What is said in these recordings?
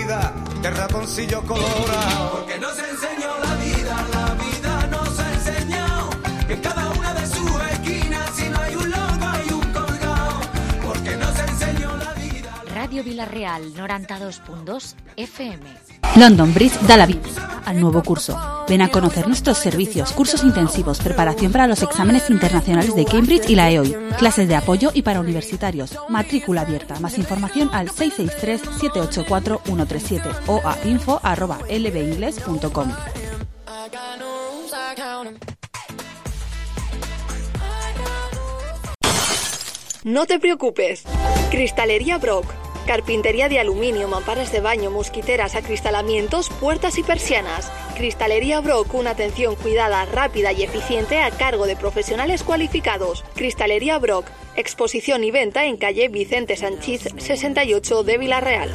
vida de ratoncillo colorado. Porque nos enseñó la vida nos enseñó que en cada una de sus esquinas si no hay un loco hay un colgado. Porque nos enseñó la vida. Radio Vila-real 92.2 FM. London Bridge da la bienvenida al nuevo curso. Ven a conocer nuestros servicios, cursos intensivos, preparación para los exámenes internacionales de Cambridge y la EOI, clases de apoyo y para universitarios, matrícula abierta. Más información al 663-784-137 o a info@lbingles.com. No te preocupes. Cristalería Brock. Carpintería de aluminio, mamparas de baño, mosquiteras, acristalamientos, puertas y persianas. Cristalería Brock, una atención cuidada, rápida y eficiente a cargo de profesionales cualificados. Cristalería Brock, exposición y venta en calle Vicente Sanchís 68 de Vila-real.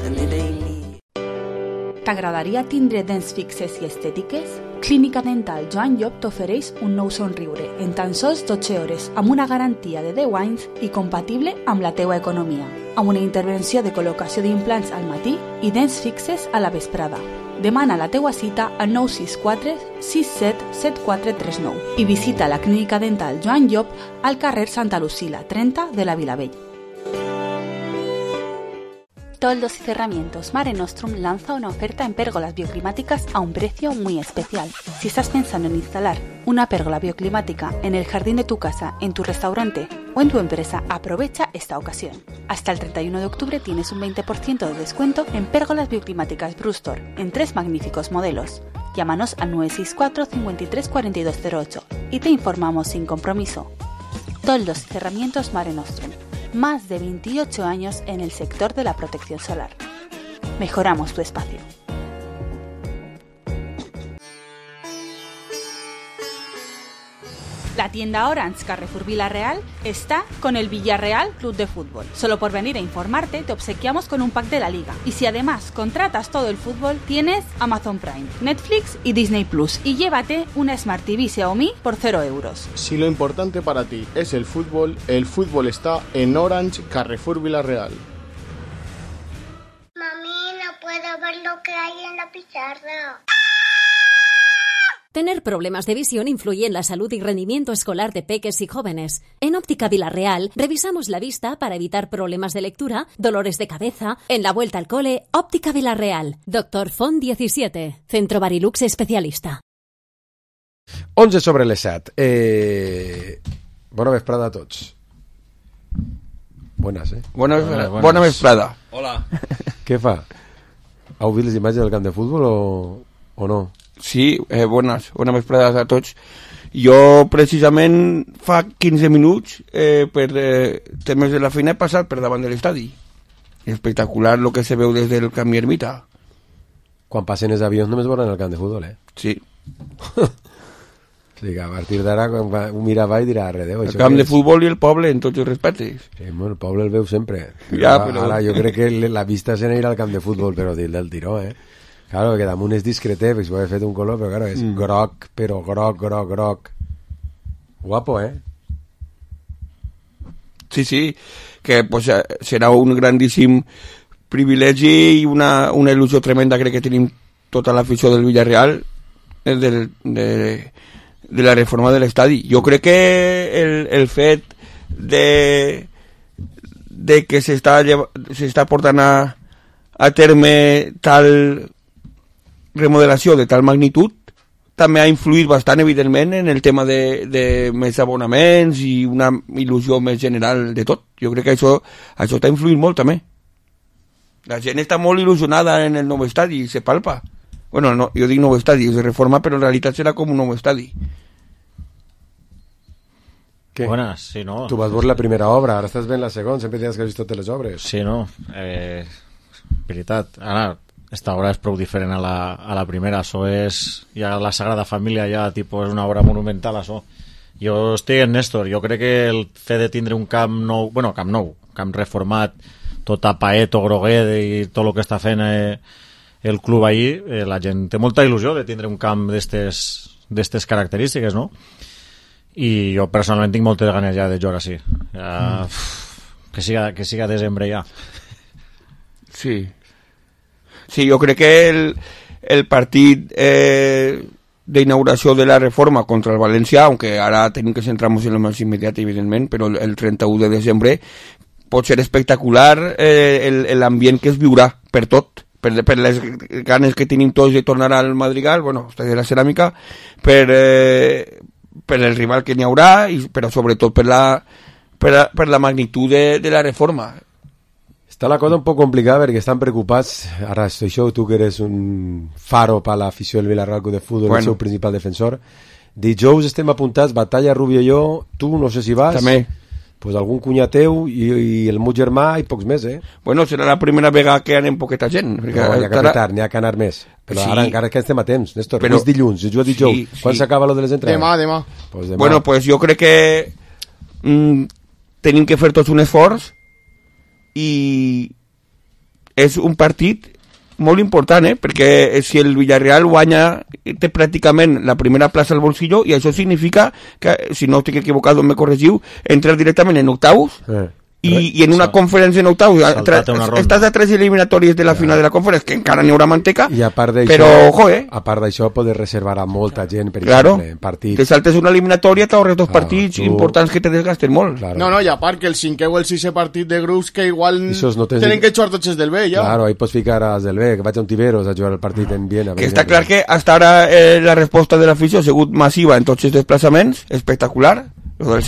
T'agradaria tindre dents fixes i estètiques? Clínica Dental Joan Llop t'ofereix un nou somriure en tan sols 12 hores amb una garantia de 10 anys i compatible amb la teua economia, amb una intervenció de col·locació d'implants al matí i dents fixes a la vesprada. Demana la teua cita al 964 67 7439 i visita la Clínica Dental Joan Llop al carrer Santa Lucila 30 de la Vilavella. Toldos y Cerramientos Mare Nostrum lanza una oferta en pérgolas bioclimáticas a un precio muy especial. Si estás pensando en instalar una pérgola bioclimática en el jardín de tu casa, en tu restaurante o en tu empresa, aprovecha esta ocasión. Hasta el 31 de octubre tienes un 20% de descuento en pérgolas bioclimáticas Brustor en 3 magníficos modelos. Llámanos al 964 53 4208 y te informamos sin compromiso. Toldos y Cerramientos Mare Nostrum. Más de 28 años en el sector de la protección solar. Mejoramos tu espacio. La tienda Orange Carrefour Vila-real está con el Villarreal Club de Fútbol. Solo por venir a informarte te obsequiamos con un pack de la liga. Y si además contratas todo el fútbol, tienes Amazon Prime, Netflix y Disney Plus. Y llévate una Smart TV Xiaomi por 0 euros. Si lo importante para ti es el fútbol está en Orange Carrefour Vila-real. Mami, no puedo ver lo que hay en la pizarra. Tener problemas de visión influye en la salud y rendimiento escolar de peques y jóvenes. En Óptica Vila-real revisamos la vista para evitar problemas de lectura, dolores de cabeza. En la vuelta al cole, Óptica Vila-real. Dr. Font 17, Centro Barilux especialista. 11 sobre les 7. Bona vesprada a tots. Buenas, Bona vesprada. Hola. Què fa? Heu vist les imatges del camp de futbol o no? Sí, bones vesprades a tots. Jo precisament fa 15 minuts per temes de la feina he passat per davant de l'estadi. Espectacular lo que se veu des del camp Ermita. Quan passen els avions només veuran el camp de futbol, Sí. O sigui, a partir d'ara quan un mira avall dirà redeu. El camp de futbol i el poble en tots els respectes. Sí, bueno, el poble el veu sempre. Ja, però... Ara jo crec que la vista se n'anirà al camp de futbol, però del tiró, Claro, que damunt és discreté, perquè s'ho ha fet un color, però claro, és groc, però groc. Guapo, Sí, que pues, serà un grandíssim privilegi i una il·lusió tremenda, crec que tenim tota l'afició del Villarreal de la reforma de l'estadi. Jo crec que el fet de que s'està portant a terme tal remodelació de tal magnitud també ha influït bastant, evidentment, en el tema de més abonaments i una il·lusió més general de tot. Jo crec que això t'ha influït molt, també. La gent està molt il·lusionada en el nou estadi, se palpa. Bueno, no, jo dic nou estadi, és de reforma, però en realitat serà com un nou estadi. Què? Buenas, sí, no. Tu vas veure la primera obra, ara estàs veient la segona, sempre tens que has vist totes les obres. Sí, no. Veritat. Ara, esta obra és prou diferent a la primera. Això és ja la Sagrada Família, ja tipus, és una obra monumental, això. Jo estic en Néstor. Jo crec que el fet de tindre un camp nou, camp reformat, tot a paet o groguet i tot el que està fent el club ahí, la gent té molta il·lusió de tindre un camp d'estes característiques, no? I jo personalment tinc moltes ganes ja de jugar així. Que siga desembre ja. Sí, Sí, jo crec que el partit d'inauguració de la reforma contra el València, aunque ara tenim que centrar-nos en el més immediat, evidentment, però el 31 de desembre pot ser espectacular l'ambient que es viurà per tot, per les ganes que tenim tots de tornar al Madrigal, bueno, de la ceràmica, per el rival que n'hi haurà, però sobretot per la magnitud de la reforma. Està la cosa un poc complicada perquè estan preocupats. Ara, això, tu que eres un faro per l'afició del Villarreal Club de Futbol, bueno, el seu principal defensor. Dijous estem apuntats, Batalla, Rubio i jo, tu no sé si vas. També. Pues algun cunyat teu i el meu germà i pocs més, Bueno, serà la primera vegada que anem poqueta gent. No, n'hi ha que apretar, n'hi ha que anar més. Però sí, ara encara que estem a temps, Néstor. Però és dilluns, es juga dijous. Sí, quan s'acaba lo de les entrades? Demà. Pues demà. Bueno, pues jo crec que tenim que fer tots un esforç i és un partit molt important, perquè si el Villarreal guanya té pràcticament la primera plaça al bolsillo i això significa que, si no estic equivocat, me corregiu, entrar directament en octaus i en una conferència en octaus estàs a 3 eliminatòries de la final de la conferència, que encara n'hi haurà manteca, i a part d'això, però ojo, a part d'això poder reservar a molta gent, per exemple, en partits. Te saltes una eliminatòria, t'ahorres dos partits importants que te desgasten molt. No, i a part que el 5è o el 6è partit de grups que igual tenen que jugar tots els del B, ja. Claro, ahí pots ficar als del B, que vaig a un Tiberos a jugar el partit en Viena. Que està clar que hasta ara la resposta de l'afició ha sigut massiva en tots els desplaçaments, espectacular. Lo del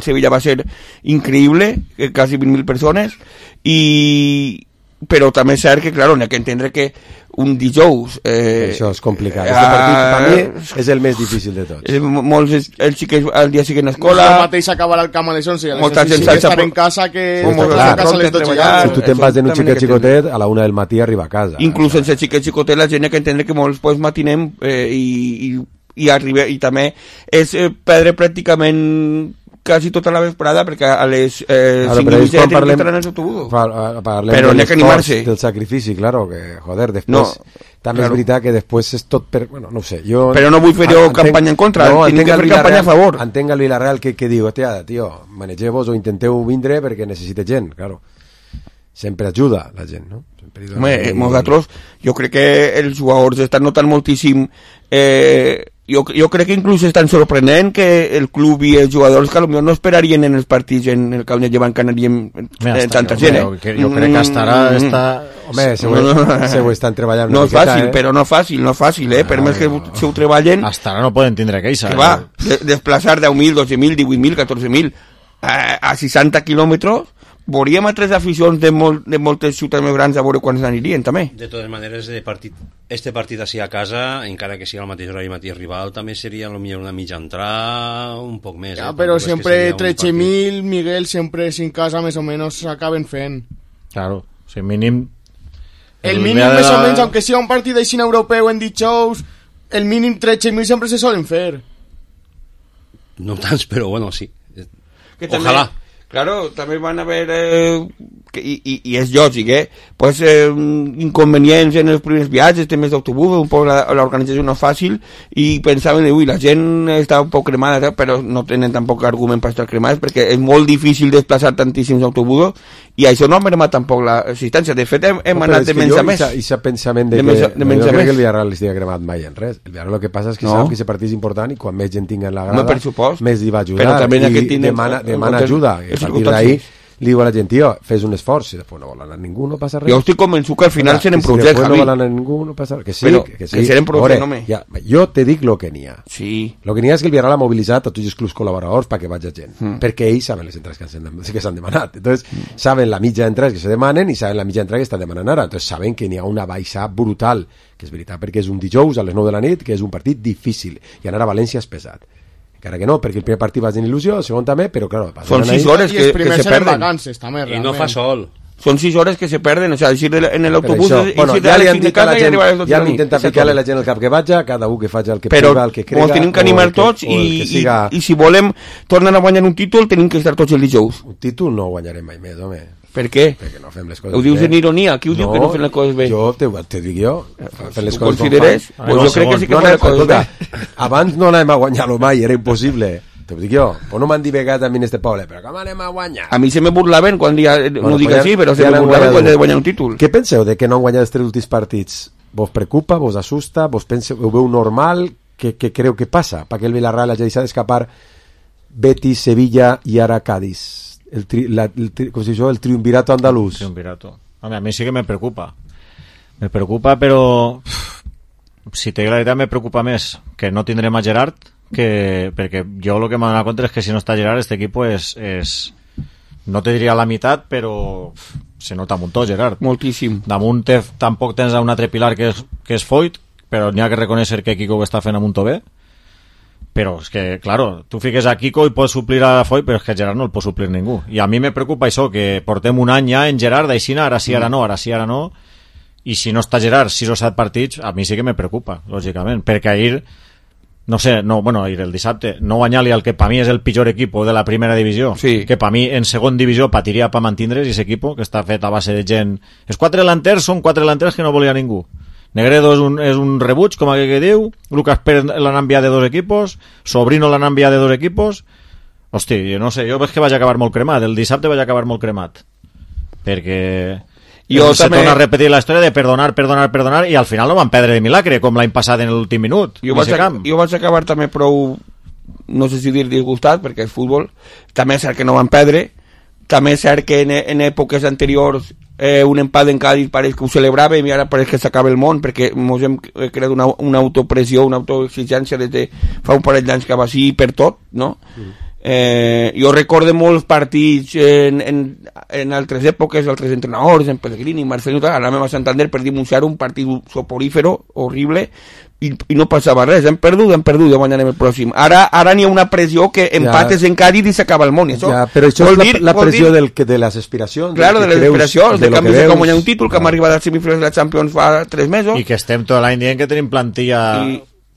Sevilla va ser increïble, quasi 20.000 persones, però també és cert que, clar, n'hi ha que entendre que un dijous... això és complicat. Este partit, per mi, és el més difícil de tots. Molts els xiquets al dia siguen a escola... El mateix acabarà el camp a les 11, molta gent estar en casa que... Si tu te'n vas d'un xiquet xicotet, a la 1 del matí arriba a casa. Inclús sense xiquet xicotet, la gent ha que entendre que molts pues matinem i també és perdre pràcticament quasi tota la vesprada perquè a les 5:30 tenen que estar en els autobusos, però n'hi ha que animar-se del sacrifici, claro, que joder, després també és veritat que després és tot bueno, no ho sé, però no vull fer campanya en contra, tinc que fer campanya a favor. Entenc el Villarreal que diu, tio, manegeu-vos o intenteu vindre perquè necessite gent, claro, sempre ajuda la gent, no? Nosaltres, jo crec que els jugadors estan notant moltíssim, jo crec que inclús estan sorprenent que el club i els jugadors que potser no esperarien en els partits en el que llevan que anaríem tanta gent, jo crec que hasta ara home, se ho estan treballant no és fàcil, però no fàcil, per més que se ho treballen hasta ara no poden tindre queixa, que va, desplaçar 10.000, 12.000, 18.000, 14.000 a 60 quilòmetres. Veuríem a 3 aficions de moltes ciutats més grans a veure quants anirien, també. De totes maneres, este partit així a casa, encara que sigui al mateix horari mateix rival, també seria potser una mitja entrada, un poc més. Però sempre 13.000, Miguel, sempre sin casa més o menys s'acaben fent. Claro, si mínim... El mínim més o menys, aunque sigui un partit així europeu en dijous, el mínim 13.000 sempre se solen fer. No tants, però bueno, sí. Ojalà. Claro, també van haver, i és lògic, pues, inconvenients en els primers viatges, temes d'autobús, un poc l'organització no és fàcil, i pensaven, ui, la gent està un poc cremada, però no tenen tampoc argument per estar cremades, perquè és molt difícil desplaçar tantíssims autobusos, i això no ha mermat tampoc l'assistència. De fet, hem anat de menys a més. I aquest pensament de que no crec que el Villarreal estigui cremat mai en res. El Villarreal el que passa és que sap que aquest partit és important i quan més gent tingui en la grada, més li va ajudar, i demana ajuda. A partir d'ahí li diu a la gent, tio, fes un esforç, i després no vol anar ningú, no passa res. Jo estic convençut que al final serem projectes, Javi. No vol anar ningú, no passa res. Que sí. Serem projectes, home. Jo te dic lo que n'hi ha. Sí. Lo que n'hi ha és que el Villarreal ha mobilitzat a tots els clubs col·laboradors perquè vagi gent. Perquè ells saben les entrades que s'han demanat. Entonces, saben la mitja d'entrades que se demanen i saben la mitja d'entrades que estan demanant ara. Entonces, saben que n'hi ha una baixa brutal, que és veritat, perquè és un dijous a les 9 de la nit, que és un partit difícil, i anar a València és pesat. Encara que no, perquè el primer partit va tenir il·lusió, el segon també, però claro, són 6 hores que se perden. Vacances, també, i no fa sol. Són 6 hores que se perden, o sea, ir en l'autobús, bueno, ja li han dit a la gent, ja han intentat ficar-li a la gent el cap que vaja, cada un que faci el que puga, el que crega. Però tenim que animar tots i si volem tornar a guanyar un títol, tenim que estar tots el dijous. Un títol no guanyarem mai més, home. Per què? Perquè no fem les coses bé. Ho dius en ironia, qui ho diu que no fem les coses bé? Jo te dic jo, fem les coses consideres? Pues jo crec que sí que fem les coses bé. Abans no anàvem a guanyar-lo mai, era impossible. te ho dic jo, pues no m'han divegat a mi en este poble, però com anem a guanyar? A mi se me burlaven quan no dic així, però se me burlaven quan he de guanyar un títol. Què penseu de que no han guanyat els 3 últims partits? Vos preocupa, vos asusta, vos penseu, ho veu normal? Què creu que passa? Perquè el Villarreal hagi deixat d'escapar Betis, Sevilla i ara Cádiz. El triunvirato andalús. Triunvirato. A mi sí que me preocupa. Me preocupa, però si te dic la veritat me preocupa més que no tindrem a Gerard, perquè jo el que m'ha donat compte és que si no està Gerard este equipo és no te diria la meitat, però se nota un muntó Gerard. Moltíssim. Damunt tampoc tens un altre pilar que és Foyt, però n'hi ha que reconèixer que Kiko ho està fent a muntó bé. Però és que, claro, tu fiques a Kiko i pots suplir a Foyt, però és que Gerard no el pot suplir ningú. I a mi me preocupa això, que portem un any ja en Gerard, d'aixina, ara sí, ara no, ara sí, ara no, i si no està Gerard 6 o 7 partits, a mi sí que me preocupa, lògicament, perquè ahir, no sé, ahir el dissabte, no guanyar-li al que per mi és el pitjor equip de la primera divisió, sí. Que per mi en segon divisió patiria per mantindre's, i aquest equip, que està fet a base de gent... Els 4 delanters són 4 delanters que no volia ningú. Negredo és un rebuig, com aquell que diu. Lucas Pérez l'han enviat de 2 equipos. Sobrino l'han enviat de 2 equipos. Hosti, jo no sé, jo veig que vaig acabar molt cremat. El dissabte vaig acabar molt cremat. Perquè se torna a repetir la història de perdonar, i al final no van perdre de milagre, com l'any passat en l'últim minut. Jo vaig acabar també prou, no sé si dir disgustat, perquè és futbol. També és cert que no van perdre. També és cert que en èpoques anteriors un empat en Cádiz pareix que ho celebràvem i ara pareix que s'acaba el món, perquè ens hem creat una autopressió, una autoexigència des de fa un parell d'anys que va així per tot, no? Jo recordo molts partits en altres èpoques, altres entrenadors, en Pellegrini, Marcelo, ara a Santander per denunciar un partit soporífero, horrible, i no passava res, hem perdut, guanyarem el pròxim. Ara n'hi ha una pressió que empates en Cádiz i s'acaba el món. Però això és la pressió de les aspiracions. Claro, de les aspiracions, de canvi de com guanyar un títol, que hem arribat als semifinals de la Champions fa 3 mesos. I que estem tot l'any dient que tenim plantilla...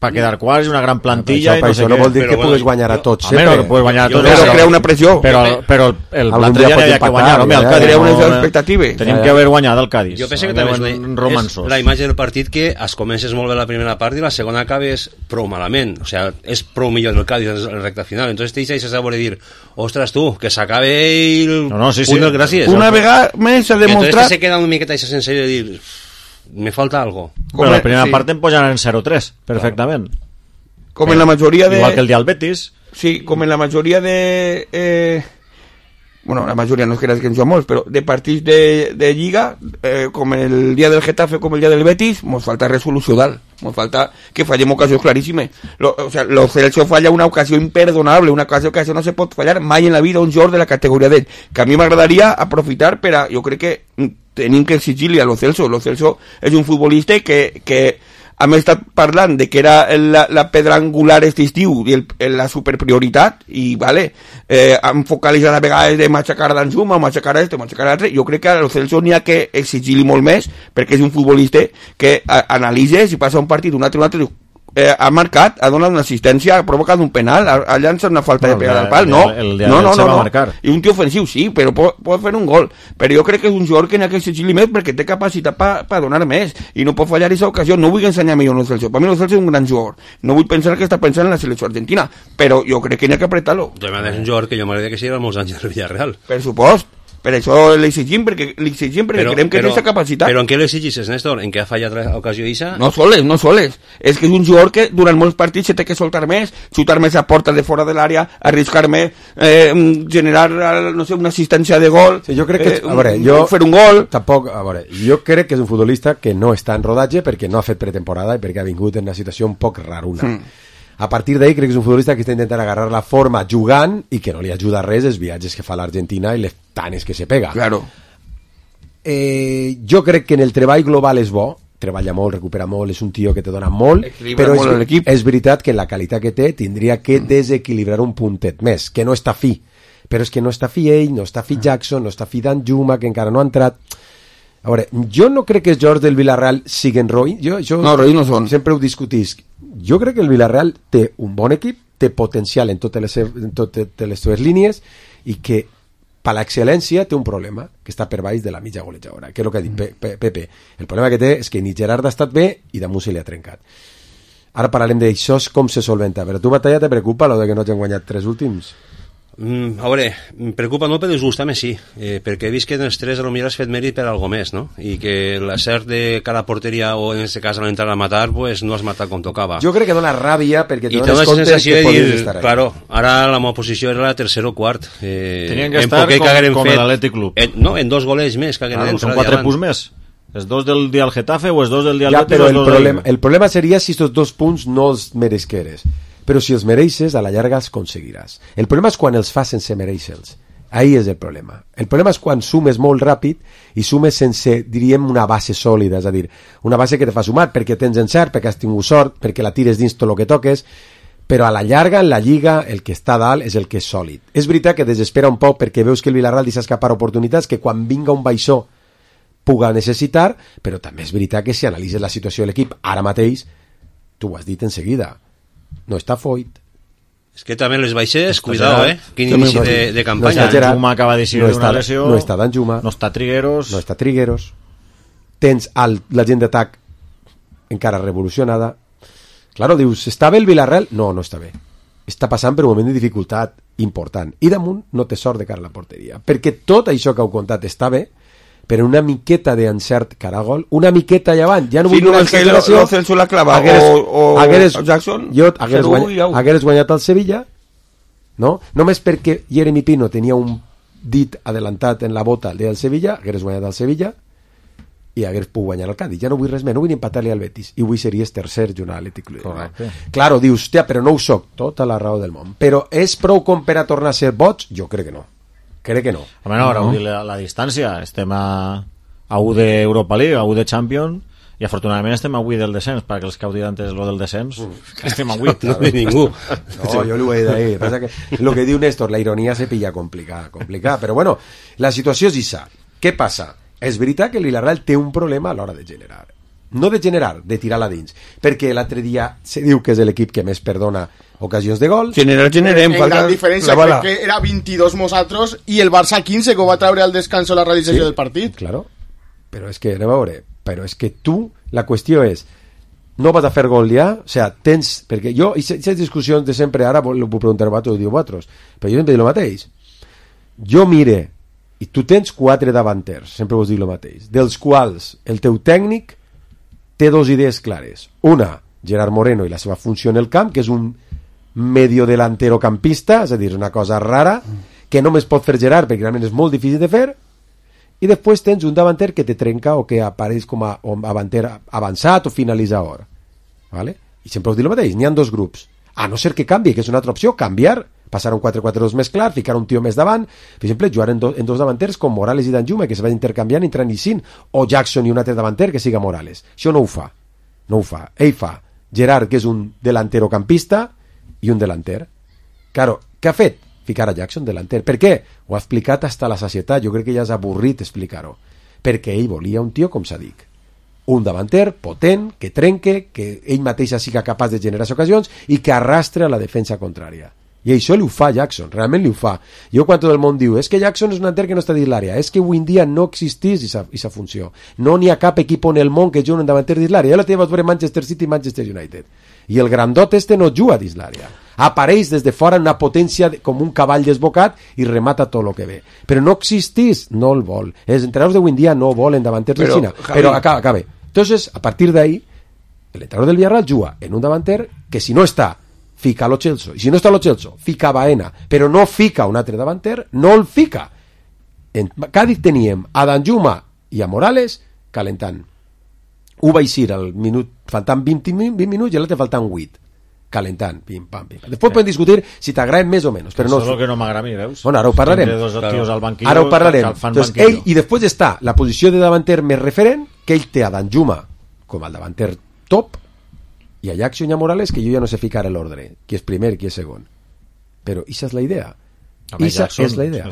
per quedar quarts, una gran plantilla, però això no vol dir que puguis guanyar a tots sempre. Però crea una pressió. Però el l'altre dia no hi ha que guanyar, home, el Cádiz crea unes expectatives. Tenim que haver guanyat el Cádiz. Jo penso que també és la imatge del partit, que es comences molt bé la primera part i la segona acabes prou malament, o sea, és prou millor el Cádiz en la recta final, entonces te deixes a voler dir, ostres tu, que s'acabe el punt del gràcies. Una vegada més s'ha demostrat... Entonces se queda una miqueta esa sensació de dir, me falta algo. Però la primera part em posen en 0-3, perfectament. Com en la majoria de... Igual que el dia del Betis. Sí, com en la majoria de... bueno, la majoria no és que ens jo molts, però de partits de Lliga, com el dia del Getafe, com el dia del Betis, ens falta resolució dalt. Ens falta que fallem ocasions claríssimes. O sea, lo Celso falla una ocasió imperdonable, una ocasió que això no se pot fallar mai en la vida un jugador de la categoria d'ell, que a mi m'agradaria aprofitar per a... Jo crec que tenim que exigir-li a lo Celso. Lo Celso és un futbolista que hem estat parlant de que era la pedra angular aquest estiu i la superprioritat, i vale, hem focalitzat a vegades de matxacar d'Anzuma, matxacar a matxacar a l'altre. Jo crec que a lo Celso n'hi ha que exigir-li molt més, perquè és un futbolista que analitza, si passa un partit, un altre, ha marcat, ha donat una assistència, ha provocat un penal, ha llançat una falta de pegada al pal, no, i un tio ofensiu sí, però pot fer un gol, però jo crec que és un jugador que n'ha que exigir-li més perquè té capacitat per donar més, i no pot fallar aquesta ocasió. No vull ensenyar millor el Celso, per mi el Celso és un gran jugador, no vull pensar que està pensant en la selecció argentina, però jo crec que n'hi ha que apretar-lo. És un jugador que jo m'agradaria que sigui molts anys del Villarreal. Per supost. Per això l'exigim, perquè creiem que té aquesta capacitat. Però en què l'exigis, Néstor? En què ha fallat l'ocasió d'Issa? No soles. És que és un jugador que durant molts partits se té que soltar més, xutar més a porta de fora de l'àrea, arriscar més, generar, no sé, una assistència de gol, sí, jo crec que, fer un gol. Tampoc, jo crec que és un futbolista que no està en rodatge perquè no ha fet pretemporada i perquè ha vingut en una situació un poc raruna. A partir d'ahí crec que és un futbolista que està intentant agarrar la forma jugant i que no li ajuda res els viatges que fa a l'Argentina i les tanes que se pega. Claro. Jo crec que en el treball global és bo, treballa molt, recupera molt, és un tio que te dona molt, però és veritat que la qualitat que té tindria que desequilibrar un puntet més, que no està fi. Però és que no està fi ell, no està fi Jackson, no està fi Danjuma, que encara no ha entrat. A veure, jo no crec que els jugadors del Villarreal siguin roïns. No, roïns no són. Sempre ho discutisc. Jo crec que el Villarreal té un bon equip, té potencial en totes les seves línies i que per l'excel·lència té un problema que està per baix de la mitja golejadora, que és el que ha dit Pepe. El problema que té és que ni Gerard ha estat bé i damunt se li ha trencat. Ara parlarem d'això, com se solventa. Però tu, Batalla, te preocupa lo de que no t'han guanyat 3 últims? A veure, em preocupa no, però disgusta-me sí, perquè he vist que en els 3 potser has fet mèrit per algo més, no? I que l'acert de cada porteria o en aquest cas a l'entrar a matar, pues no has matat com tocava. Jo crec que dona ràbia perquè te dones compte que podies estar ahí. Claro, ara la meva posició era la tercer o quart. Tenien que estar com l'Atlètic Club. No, en 2 golets més que hagueren entrat. Són 4 punts més. Els 2 del dia al Getafe o els 2 del dia al Betis? Però el problema seria si aquests 2 punts no els meresqueres. Però si els mereixes, a la llarga els aconseguiràs. El problema és quan els fas sense mereixer-los. Ahí és el problema. El problema és quan sumes molt ràpid i sumes sense, diríem, una base sòlida, és a dir, una base que te fa sumar perquè tens encert, perquè has tingut sort, perquè la tires dins tot el que toques, però a la llarga, en la Lliga, el que està dalt és el que és sòlid. És veritat que desespera un poc perquè veus que el Villarreal deixa escapar oportunitats que quan vinga un baixó puga necessitar, però també és veritat que si analitzes la situació de l'equip ara mateix, tu ho has dit en seguida, no està Foyt. És que també les baixes, cuidao, quin inici de campanya. Danjuma acaba de seguir una lesió. No està Danjuma. No està Trigueros. Tens la gent d'atac encara revolucionada. Claro, dius, està bé el Villarreal? No està bé. Està passant per un moment de dificultat important. I damunt no té sort de cara a la porteria. Perquè tot això que heu contat està bé, però una miqueta d'encert cara a gol, una miqueta allà avall, ja no vull una exageració. No Celso la clava o Jackson, jo hagués guanyat el Sevilla, no? Només perquè Jeremy Pino tenia un dit adelantat en la bota del Sevilla, hagués guanyat el Sevilla i hagués pogut guanyar el Cádiz. Ja no vull res més, no vull empatar-li al Betis i vull series tercer junt a l'Atlètic Club. Correcte. Claro, dius, hòstia, però no ho soc, tota la raó del món. Però és prou com per a tornar a ser boig? Jo crec que no. Crec que no. Home, no, ara la distància. Estem a 1 d'Europa League, a 1 de Champions, i afortunadament estem a 8 del descens, perquè els que heu dit antes lo del descens, estem a 8. No ve ningú. No, jo l'ho he dit. Passa que lo que diu Néstor, la ironia se pilla complicada. Però bueno, la situació és issa. Què passa? És veritat que el Villarreal té un problema a l'hora de generar. No de generar, de tirar-la dins. Perquè l'altre dia se diu que és l'equip que més perdona ocasions de gol. Generem. En gran diferència, crec que era 22 nosaltres i el Barça 15 que ho va treure al descanso la realització del partit. Claro, però és que, anem a veure, però és que tu, la qüestió és, no vas a fer gol ja, o sea, tens, perquè jo, i aquestes discussions de sempre, ara ho puc preguntar a vosaltres, ho diu vosaltres, però jo sempre dic el mateix. Jo mire, i tu tens 4 davanters, sempre vos dic el mateix, dels quals el teu tècnic té 2 idees clares. Una, Gerard Moreno i la seva funció en el camp, que és un medio delantero campista, és a dir, una cosa rara que només pot fer Gerard perquè realment és molt difícil de fer, i després tens un davanter que te trenca o que apareix com a davanter avançat o finalitzador, ¿vale? I sempre us dic el mateix, n'hi ha 2 grups, a no ser que canvi, que és una altra opció, canviar, passar un 4-4-2 més clar, ficar un tio més davant, per exemple, jugar en 2 davanters com Morales i Danjuma, que se van intercanviant i entrant i sin, o Jackson i un altre davanter que siga Morales. Això no ho fa. Ell fa Gerard, que és un delantero campista, i un delanter. Claro, què ha fet? Ficar a Jackson delanter. Per què? Ho ha explicat hasta la sacietat. Jo crec que ja és avorrit explicar-ho. Perquè ell volia un tio, com s'ha dit, un davanter potent, que trenque, que ell mateix siga capaç de generar ocasions i que arrastre a la defensa contrària. I això li ho fa Jackson, realment li ho fa. Jo quan tot el món diu, és que Jackson és un davanter que no està dins l'àrea, és que avui en dia no existís aquesta funció. No n'hi ha cap equip en el món que jugui un davanter dins l'àrea. Ja la teva veure Manchester City i Manchester United. I el grandot no juga dins l'àrea. Apareix des de fora una potència com un cavall desbocat i remata tot el que ve. Però no existís, no el vol. Els entrenadors d'avui en dia no volen davanters de Xina. Però acaba. Entonces, a partir d'ahí, el entrenador del Villarreal juga en un davanter que si no està, fica Lo Celso, i si no està Lo Celso, fica Baena, però no fica un altre davanter, no el fica. En Cádiz teníem a Danjuma i a Morales calentant. Ho va eixir al minut, faltant 20 minuts i l'altre faltant 8, calentant, pim, pam. Després podem discutir si t'agrada més o menys, però no... Això és el que no m'agrada a mi, veus? Bueno, ara ho parlarem. Ara ho parlarem. Entonces, ell, i després està la posició de davanter més referent, que ell té a Danjuma com el davanter top, i a Jackson i a Morales, que jo ja no sé ficar l'ordre, qui és primer, qui és segon. Però aquesta és la idea. Esa és la idea.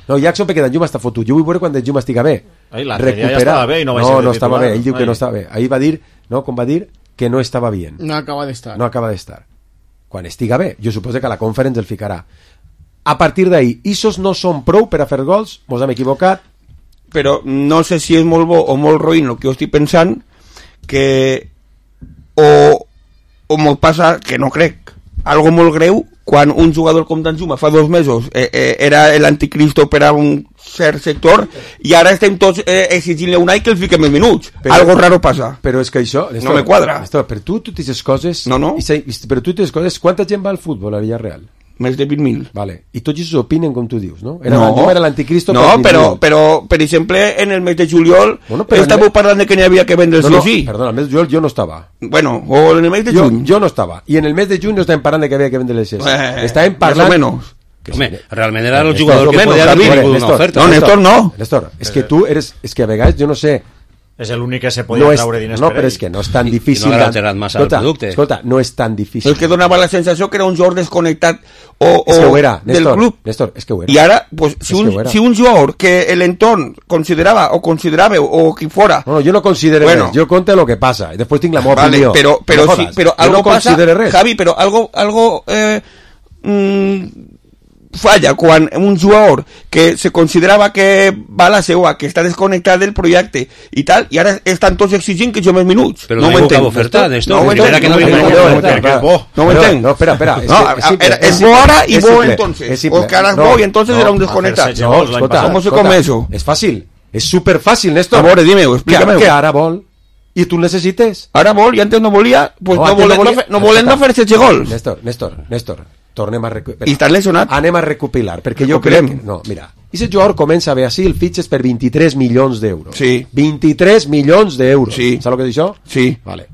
No, Jackson perquè Danjuma està fotut. Jo vull veure quan Danjuma estiga bé. L'altre dia ja estava bé i no va ser titular. No estava bé, ell diu que no estava bé. Ahir va dir, no, com va dir, que no estava bien. No acaba d'estar. No acaba d'estar. Quan estiga bé, jo suposo que a la conference el ficarà. A partir d'ahir, isos no són prou per a fer gols, mos hem equivocat. Però no sé si és molt bo o molt roïn el que jo estic pensant, que o o molt passa, que no crec, algo molt greu, quan un jugador com Danjuma fa 2 mesos era l'anticristo per a un cert sector, i ara estem tots exigint-li a Unai que el fiquem els minuts. Algo raro passa. Però és que això... no me quadra. Per tu aquestes coses... No. Per tu aquestes coses, quanta gent va al futbol a Villarreal? Més de 20.000. Vale. I tots ells opinen com tu dius, no? No, era l'anticristo. No, però, per exemple, en el mes de juliol estàveu parlant de que n'hi havia que vendre el sí. Perdona, el mes de juliol jo no estava. Bueno, o en el mes de juny. Jo no estava. I en el mes de juny no estàvem parlant de que havia que vendre el sí. Estàvem parlant... Més o menys. Home, realment era el jugador que podia haver vingut una oferta. No, Néstor no. Néstor, és que tu eres... És que a vegades jo no sé... És l'únic que se podia traure diners per ell. No, però és que no és tan difícil. I no ha alterat massa el producte. Escolta, no és tan difícil. És que donava la sensació que era un jugador desconnectat és que ho era, del club. Néstor, és que ho era. I ara, pues, si un jugador que l'entorn considerava o qui fora... No, jo no considero res, jo conte lo que passa i després tinc la meva opinió. Però algo passa, Javi, però algo falla quan un jugador que se considerava que va a la seua, que està desconnectat del projecte i tal, i ara estan tots exigint que jo més minuts. Però no ho entenc. Oferta, no ho entenc. No ho entenc. No, espera. És bo ara i bo entonces. O que ara és bo i entonces era un desconnectat. No, escolta. ¿Cómo se come eso? És fàcil. És superfàcil, Néstor. A veure, dime-ho, explícame-ho. Que ara vol i tu necessites. Ara vol i antes no volia, pues no volen no fer-se gol. Néstor, tornem a recuperar. I estàs lesionat? Anem a recopilar, perquè jo crec que... No, mira, aquest jugador comença a Brasil, fitxes per 23 milions d'euros. Sí. 23 milions d'euros. Sí. Saps el que és això? Sí. Vale.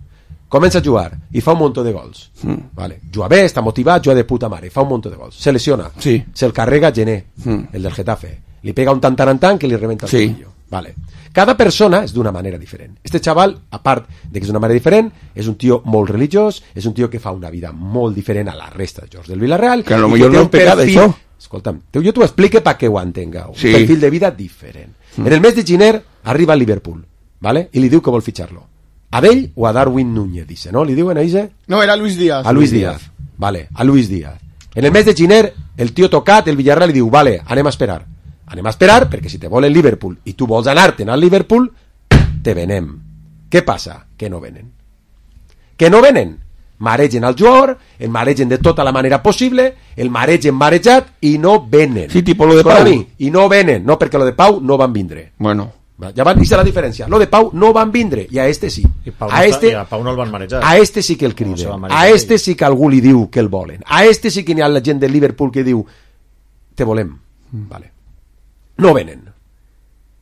Comença a jugar i fa un munt de gols. Vale. Juga bé, està motivat, juga de puta mare, fa un munt de gols. Se lesiona. Sí. Se'l carrega Gené, el del Getafe. Li pega un tantarantan que li rebenta el tobillo. Vale. Cada persona és d'una manera diferent. Este xaval, a part de que és d'una manera diferent, és un tio molt religiós, és un tio que fa una vida molt diferent a la resta de jocs del Villarreal. Que a lo millor no és pecat, això. Escolta'm, jo t'ho explique perquè ho entengueu. Sí. Un perfil de vida diferent. En el mes de gener arriba al Liverpool, ¿vale? I li diu que vol fitxar-lo. A ell o a Darwin Núñez, dice, ¿no? Li diuen a ell? No, era Luis Díaz. A Luis Díaz. Vale, a Luis Díaz. En el mes de gener, el tio tocat, el Villarreal, li diu, vale, anem a esperar. Anem a esperar, perquè si te vol el Liverpool i tu vols anar-te'n al Liverpool, te venem. Què passa? Que no venen. Que no venen. Maregen al jugador, el maregen de tota la manera possible, el maregen marejat i no venen. Sí, tipo lo de Pau. I no venen, no, perquè lo de Pau no van vindre. Bueno. Ja van dir la diferència. Lo de Pau no van vindre i a este sí. I a Pau no el van marejar. A este sí que el criden. A este sí que algú li diu que el volen. A este sí que n'hi ha la gent del Liverpool que diu te volem. Vale. No venen.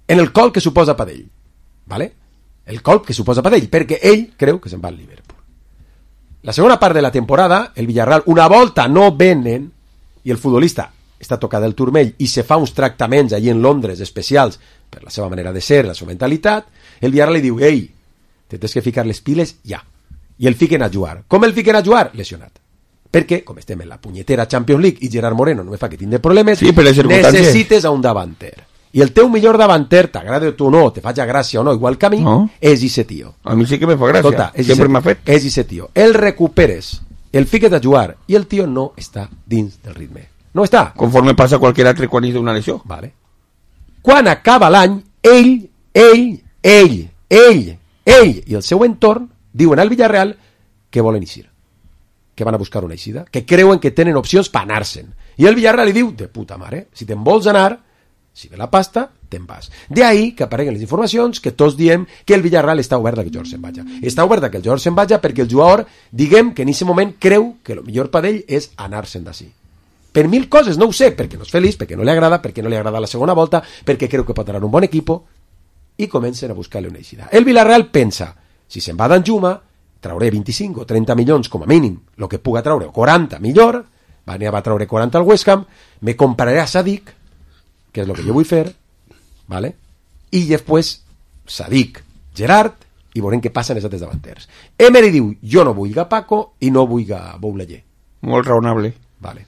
En el colp que suposa per ell. Vale? El colp que suposa per ell, perquè ell creu que se'n va al Liverpool. La segona part de la temporada, el Villarreal, una volta no venen, i el futbolista està tocat del turmell i se fa uns tractaments allí en Londres especials per la seva manera de ser, la seva mentalitat, el Villarreal li diu, ei, te tens que ficar les piles ja. I el fiquen a jugar. Com el fiquen a jugar? Lesionat. Perquè, com estem en la punyetera Champions League i Gerard Moreno no me fa que tindre problemes, sí, necessites a un davanter. I el teu millor davanter, t'agrada tu o no, te faig gràcia o no, igual que a mi, és ese tio. A mi sí que me fa gràcia. Escolta, sempre m'ha fet. És ese tio. El recuperes, el fiques a jugar i el tio no està dins del ritme. No està. Conforme passa qualsevol altre quan és d'una lesió. Vale. Quan acaba l'any, ell i el seu entorn diuen al Villarreal que volen eixir, que van a buscar una eixida, que creuen que tenen opcions per anar-se'n. I el Villarreal li diu, de puta mare, si te'n vols anar, si ve la pasta, te'n vas. De ahí que apareguen les informacions que tots diem que el Villarreal està obert a que el jugador se'n vagi. Està obert a que el jugador se'n vagi perquè el jugador, diguem que en aquest moment creu que el millor per ell és anar-se'n d'ací. Per mil coses, no ho sé, perquè no és feliç, perquè no li agrada, perquè no li agrada la segona volta, perquè creu que pot anar un bon equip, i comencen a buscar-li una eixida. El Villarreal pensa, si se'n va d'Anjuma, trauré 25 o 30 milions com a mínim, el que puga traure, 40 millor, va traure 40 al West Ham, me compraré a Sadik, que és el que jo vull fer, ¿vale? I després Sadik, Gerard, i veurem què passa en els altres davanters. Emery diu, jo no vull a Paco i no vull a Boulaye. Molt raonable. Vale.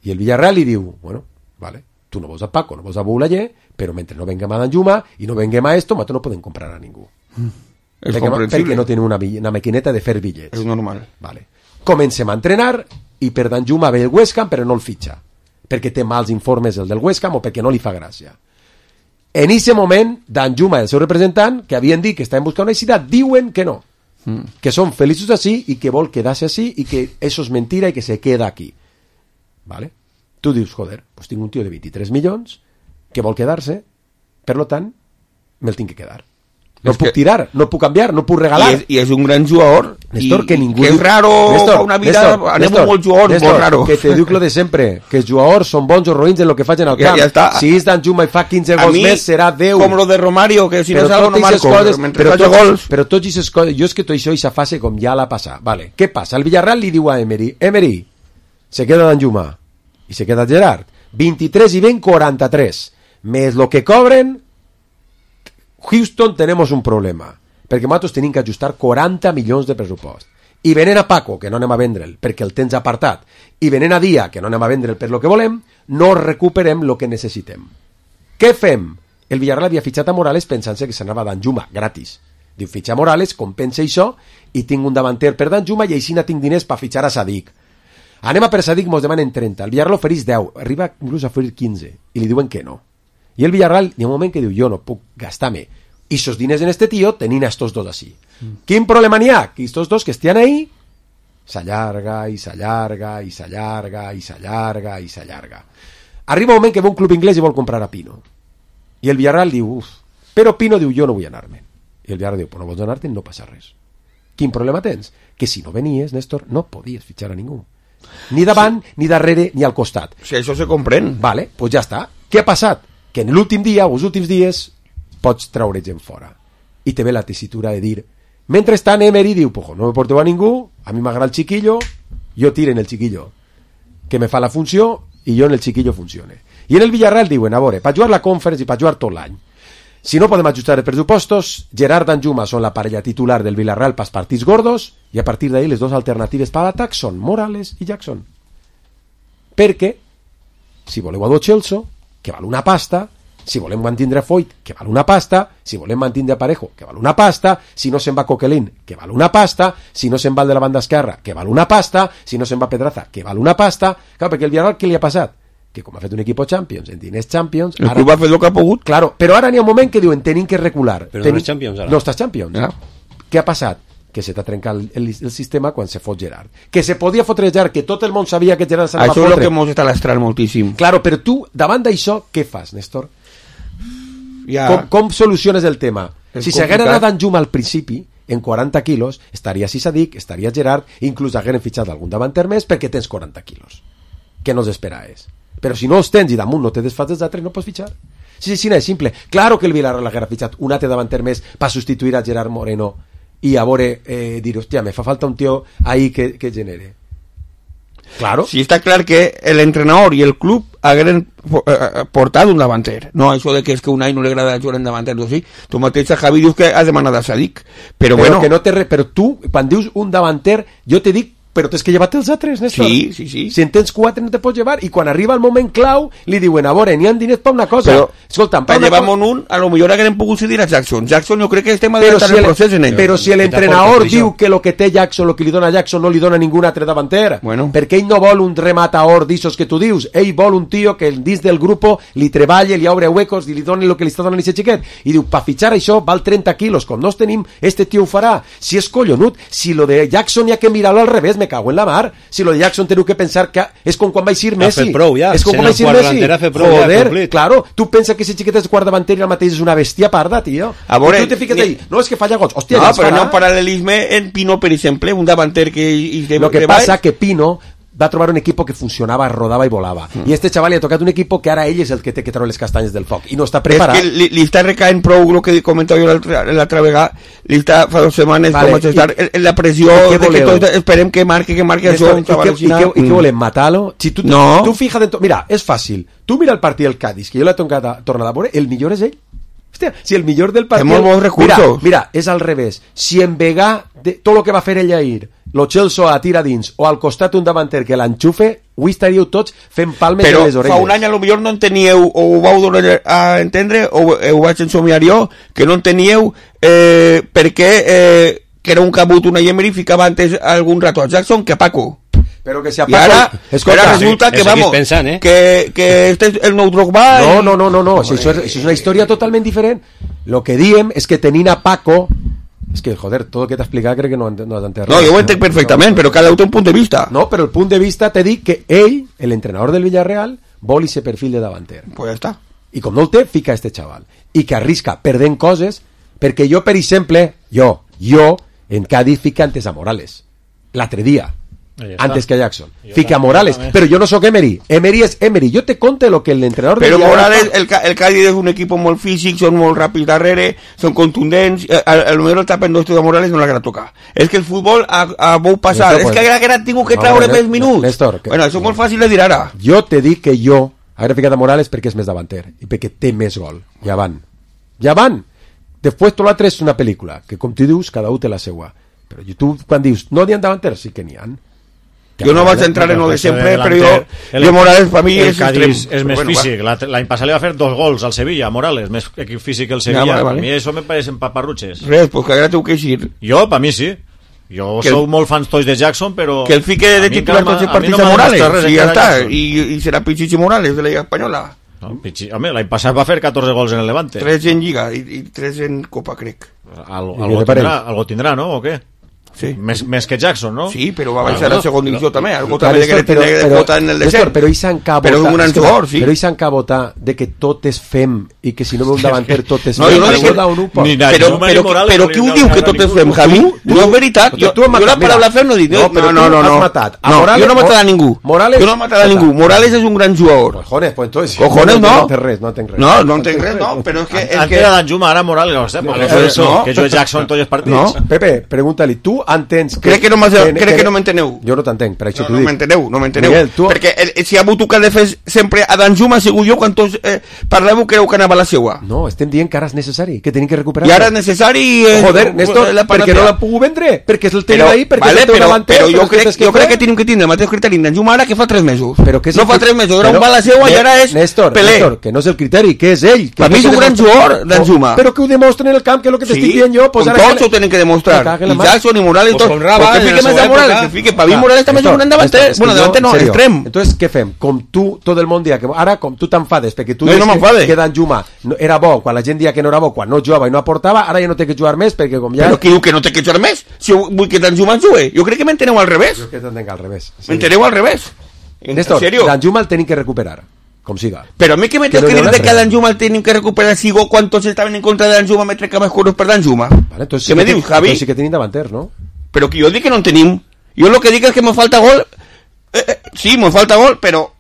I el Villarreal li diu, bueno, vale, tu no vols a Paco, no vols a Boulaye, però mentre no venguem a Danjuma i no venguem a esto, nosaltres no podem comprar a ningú. És comprensible. Perquè no tenim una maquineta de fer bitllets. És normal. Vale. Comencem a entrenar i per Danjuma ve el West Ham però no el fitxa, perquè té mals informes el del West Ham o perquè no li fa gràcia. En aquest moment, Danjuma i el seu representant, que havien dit que estaven buscant una eixida, diuen que no. que són feliços així i que vol quedar-se així i que això és mentira i que se queda aquí. ¿Vale? Tu dius, joder, pues tinc un tio de 23 milions que vol quedar-se, per lo tant, me'l tinc que quedar. No puc tirar, no puc canviar, no puc regalar. I és un gran jugador. Néstor, que ningú... Que és raro, fa una vida... Anem molt jugadors, molt raro. Que te dic lo de sempre, que els jugadors són bons o roïns en el que facin al camp. Ja si és Danjuma i fa 15 gols més, serà 10. Com lo de Romario, que si no salgo no marco. Però tots aquestes coses... Jo és que tot això i sa fase com ja la passa. Vale. Què passa? El Villarreal li diu a Emery, se queda Danjuma i se queda Gerard. 23 y ven 43. Més lo que cobren... Houston tenemos un problema, perquè nosaltres tenim que ajustar 40 milions de pressupost. I venent a Paco, que no anem a vendre'l perquè el tens apartat, i venent a Dia, que no anem a vendre'l per lo que volem, no recuperem lo que necessitem. Què fem? El Villarreal havia fitxat a Morales pensant-se que s'anava a Danjuma, gratis. Diu, fitxa Morales, compensa això, i tinc un davanter per Danjuma, i així no tinc diners per fitxar a Sadik. Anem a per Sadik, mos demanen 30, el Villarreal oferís 10, arriba inclús a oferir 15, i li diuen que no. I el Villarreal, hi ha un moment que diu, jo no puc gastar-me i esos diners en este tío tenien a estos dos así. Quin problema n'hi ha? Que estos dos que estien ahí s'allarga i s'allarga i s'allarga i s'allarga i s'allarga. Arriba un moment que ve un club inglès i vol comprar a Pino. I el Villarreal diu, però Pino diu, jo no vull anar-me. I el Villarreal diu, pues no vols anar-te, no passa res. Quin problema tens? Que si no venies, Néstor, no podies fitxar a ningú. Ni davant, ni darrere, ni al costat. Si això se comprèn. Vale, pues ja està. Què ha passat? Que en l'últim dia, o els últims dies, pots treure gent fora. I te ve la tessitura de dir, mentrestant Emery diu, pues no me porteu a ningú, a mi m'agrada el chiquillo, jo tiro en el chiquillo, que me fa la funció, i jo en el chiquillo funcione. I en el Villarreal diuen, a veure, per jugar la Conference i per jugar tot l'any, si no podem ajustar els pressupostos, Gerard Danjuma són la parella titular del Villarreal pels partits gordos, i a partir d'ahí les dues alternatives per l'atac són Morales i Jackson. Perquè, si voleu a Lo Celso, que val una pasta, si volem mantindre Foyt, que val una pasta, si volem mantindre Parejo, que val una pasta, si no se'n va Coquelin, que val una pasta, si no se'n va el de la banda esquerra, que val una pasta, si no se'n va Pedraza, que val una pasta. Clar, perquè el Villarreal, què li ha passat? Que com ha fet un equip Champions, en diners Champions... El club ha fet el que ha pogut. Claro, però ara n'hi ha un moment que diuen, tenim que recular. Però no és Champions, ara. No estàs Champions. Ja. Què ha passat? Que se t'ha trencat el sistema quan se fot Gerard. Que se podia fotre Gerard, que tot el món sabia que Gerard s'anava a fotre. Això és el que mos està lastrant moltíssim. Claro, però tu, davant d'això, què fas, Néstor? Ja. Com soluciones el tema? Si s'haguera anat Danjuma al principi, en 40 quilos, estaria Sadik, estaria Gerard, inclús hagueren fitxat algun davanter més perquè tens 40 quilos. Què no esperaves? Però si no els tens i damunt no te desfas dels altres, no pots fitxar. Sí, no és simple. Claro que el Villarreal haguera fitxat un altre davanter més per substituir a Gerard Moreno i a veure, dir, hòstia, me fa falta un tio ahí que genere. Claro. Sí, està clar que l'entrenador i el club hagueren portat un davanter. No això de que és que un any no li agrada jugar en davanter. Sí. Tu mateix, Javi, dius que has demanat a Sadik. Però bueno... Que no però tu, quan dius un davanter, jo te dic, però tens que llevar-te els altres, Néstor. Sí. Si en tens 4 no te pots llevar, i quan arriba el moment clau, li diuen, a veure, n'hi ha diners per una cosa. Però, escolta'm, per llevar-me'n un, a lo millor haguem pogut cedir a Jackson. Jackson jo crec que estem adelantant el procés en ell. Però si l'entrenador diu que lo que té Jackson, lo que li dona Jackson, no li dona ningú altre davanter, perquè ell no vol un rematador d'ixos que tu dius, ell vol un tio que dins del grup li treballe, li obre huecos i li doni el que li està donant aquest xiquet. I diu, per fitxar això val 30 quilos, com no els tenim, este tio ho farà. Si és collonut, si lo de Jackson hi ha que mirar-lo al revés, me cago en la mar. Si lo de Jackson teniu que pensar que és com quan va eixir Messi. És com quan va eixir Messi. Joder, claro, tu pensa que ese xiquet és quart davanter i el mateix és una bèstia parda, tio. A veure, tu te fiques ahí, no, és que falla gols. Hòstia, no, però no un paral·lelisme en Pino, per exemple, un davanter que... Lo que passa que Pino va trobar un equipo que funcionava, rodava i volava. I este xaval li ha tocat un equipo que ara ell és el que té que treure les castanyes del foc i no està preparat. És que li està recaent prou el que comentava jo l'altra vegada, li està fa 2 setmanes en la pressió de que tots esperem que marque això. I què volem, matar-lo? Si tu fija dentro... Mira, és fàcil. Tu mira el partit del Cádiz, que jo l'he tornat a veure, el millor és ell. Hòstia, si el millor del partit... Té molt bons recursos. Mira, és al revés. Si en Vegà, tot el que va fer ell ahir, Lo Celso a tira dins, o al costat un davanter que l'enxufe, avui estaríeu tots fent palmes en les orelles. Però fa un any a lo millor no enteníeu, o ho vau donar a entendre, o ho vaig ensomiar jo, que no enteníeu per què que era un cabut una Emery ficava antes algun rato a Jackson que a Paco. Pero que si a Paco, ara resulta que vamos pensant, que este es el nou Drogba. No, això és una història totalment diferent. Lo que diem és que tenint a Paco És que, joder, tot el que t'ha explicat crec que no has entès. No, jo ho entenc perfectament, però cada un té un punt de vista. No, però el punt de vista t'he dit que ell, l'entrenador del Villarreal, vol ese perfil de davanter. Pues ja està. I com no el té, fica este xaval. I que arrisca perdent coses, perquè jo, per exemple, jo, en Cádiz fica antes a Morales. L'altre dia. Antes que a Jackson. Fica a Morales. Però jo no sóc Emery. Emery és Emery. Jo te conte lo que l'entrenador... Però Morales, el Cádiz és un equip molt físic, són molt ràpids darrere, són contundents. El millor el tapen dos de Morales no l'haguera tocar. És que el futbol ha vol passar. És que haguera tingut que treure més minuts. Néstor, bueno, això és molt fàcil de dir ara. Jo te dic que jo haguera ficat a Morales perquè és més davanter i perquè té més gol. Ja van. Després tot l'altre és una pel·lícula, que com tu dius, cada un té la seua. Però tu quan dius, no n'hi ha davanters, sí que n'hi ha. Jo no vaig entrar en lo de sempre, però jo Morales per mi és extrem. És més físic. L'any passat li va fer 2 gols al Sevilla, Morales, més equip físic que el Sevilla. A mi això me pareixen paparrutxes. Res, pues que ara t'ho que eixir. Jo, per mi sí. Jo sou molt fans tots de Jackson, però... Que el fique de titular tots els partits a Morales, i ja està. I serà Pichichi Morales de la Lliga Espanyola. Home, l'any passat va fer 14 gols en el Levante. 3 en Lliga i 3 en Copa, crec. Algo tindrà, no? O què? Sí. Més que Jackson, no? Sí, però va baixar a segona divisió també. Algo també de que tenia de votar en el descens. Però ells s'han que votar. Però ells s'han que votar de que tot és fem i que si no ve un davanter tot és fem. No, jo no dic però qui ho diu que tot és fem, Javi? No és veritat. Jo la paraula fem no dic. No. Jo no he matat a ningú. Jo no he matat a ningú. Morales és un gran jugador. Cojones, pues entonces. Cojones, no. No entenc res. No entenc res, no. Però és que... Antes era Danjuma, ara Morales, no sé. Que jo Jackson tots els partits. Pepe, pregunta-li, tu entens que crec que no m'enteneu. Jo no t'entenc, per això t'ho dic. No m'enteneu. Perquè si ha hagut que ha de fer sempre a Danjuma, segur jo, quan tots parleu, creu que anava la seua. No, estem dient que ara és necessari, que tenim que recuperar. I ara és necessari... Joder, Néstor, perquè no l'ha pogut vendre, perquè és el tenim ahí, perquè és el teu davanter. Però jo crec que tenim que tindre el mateix criteri en Danjuma ara que fa 3 mesos. No fa 3 mesos, era un va la seua i ara és Pelé. Néstor, que no és el criteri, que és ell. Per mi és un gran jugador, Danjuma. Però que ho demostren en el camp, que és el que t'estic dient jo. Com tots ho tenen que demostrar. I Jackson i Morales i tot. Que fique més de Morales, que fique, para mí Morales també és un gran davanter. Bueno, davanter no, extrem. Entonces, què fem? Com tu, tot el món dia, que ara com tu t'enfades, perquè tu dius que Danjuma era bo, quan la gent dia que no era bo, quan no jugava i no aportava, ara ja no té que jugar més, perquè com ja... Però qui diu que no té que jugar més? Si vull que Danjuma jugui, jo crec que m'enteneu al revés. Jo crec que t'entenc al revés. M'enteneu al revés. Néstor, Danjuma el tenim que recuperar. Com siga. Però a mi que me tens que dir que Danjuma el tenim que recuperar sigo quan tots estaven en contra de Danjuma me trec més curos per Danjuma. Vale, què me dius, Javi? Entonces sí que tenim davanters, no? Però que jo dic que no en tenim. Jo lo que dic és que me falta gol. Sí, me falta gol, però...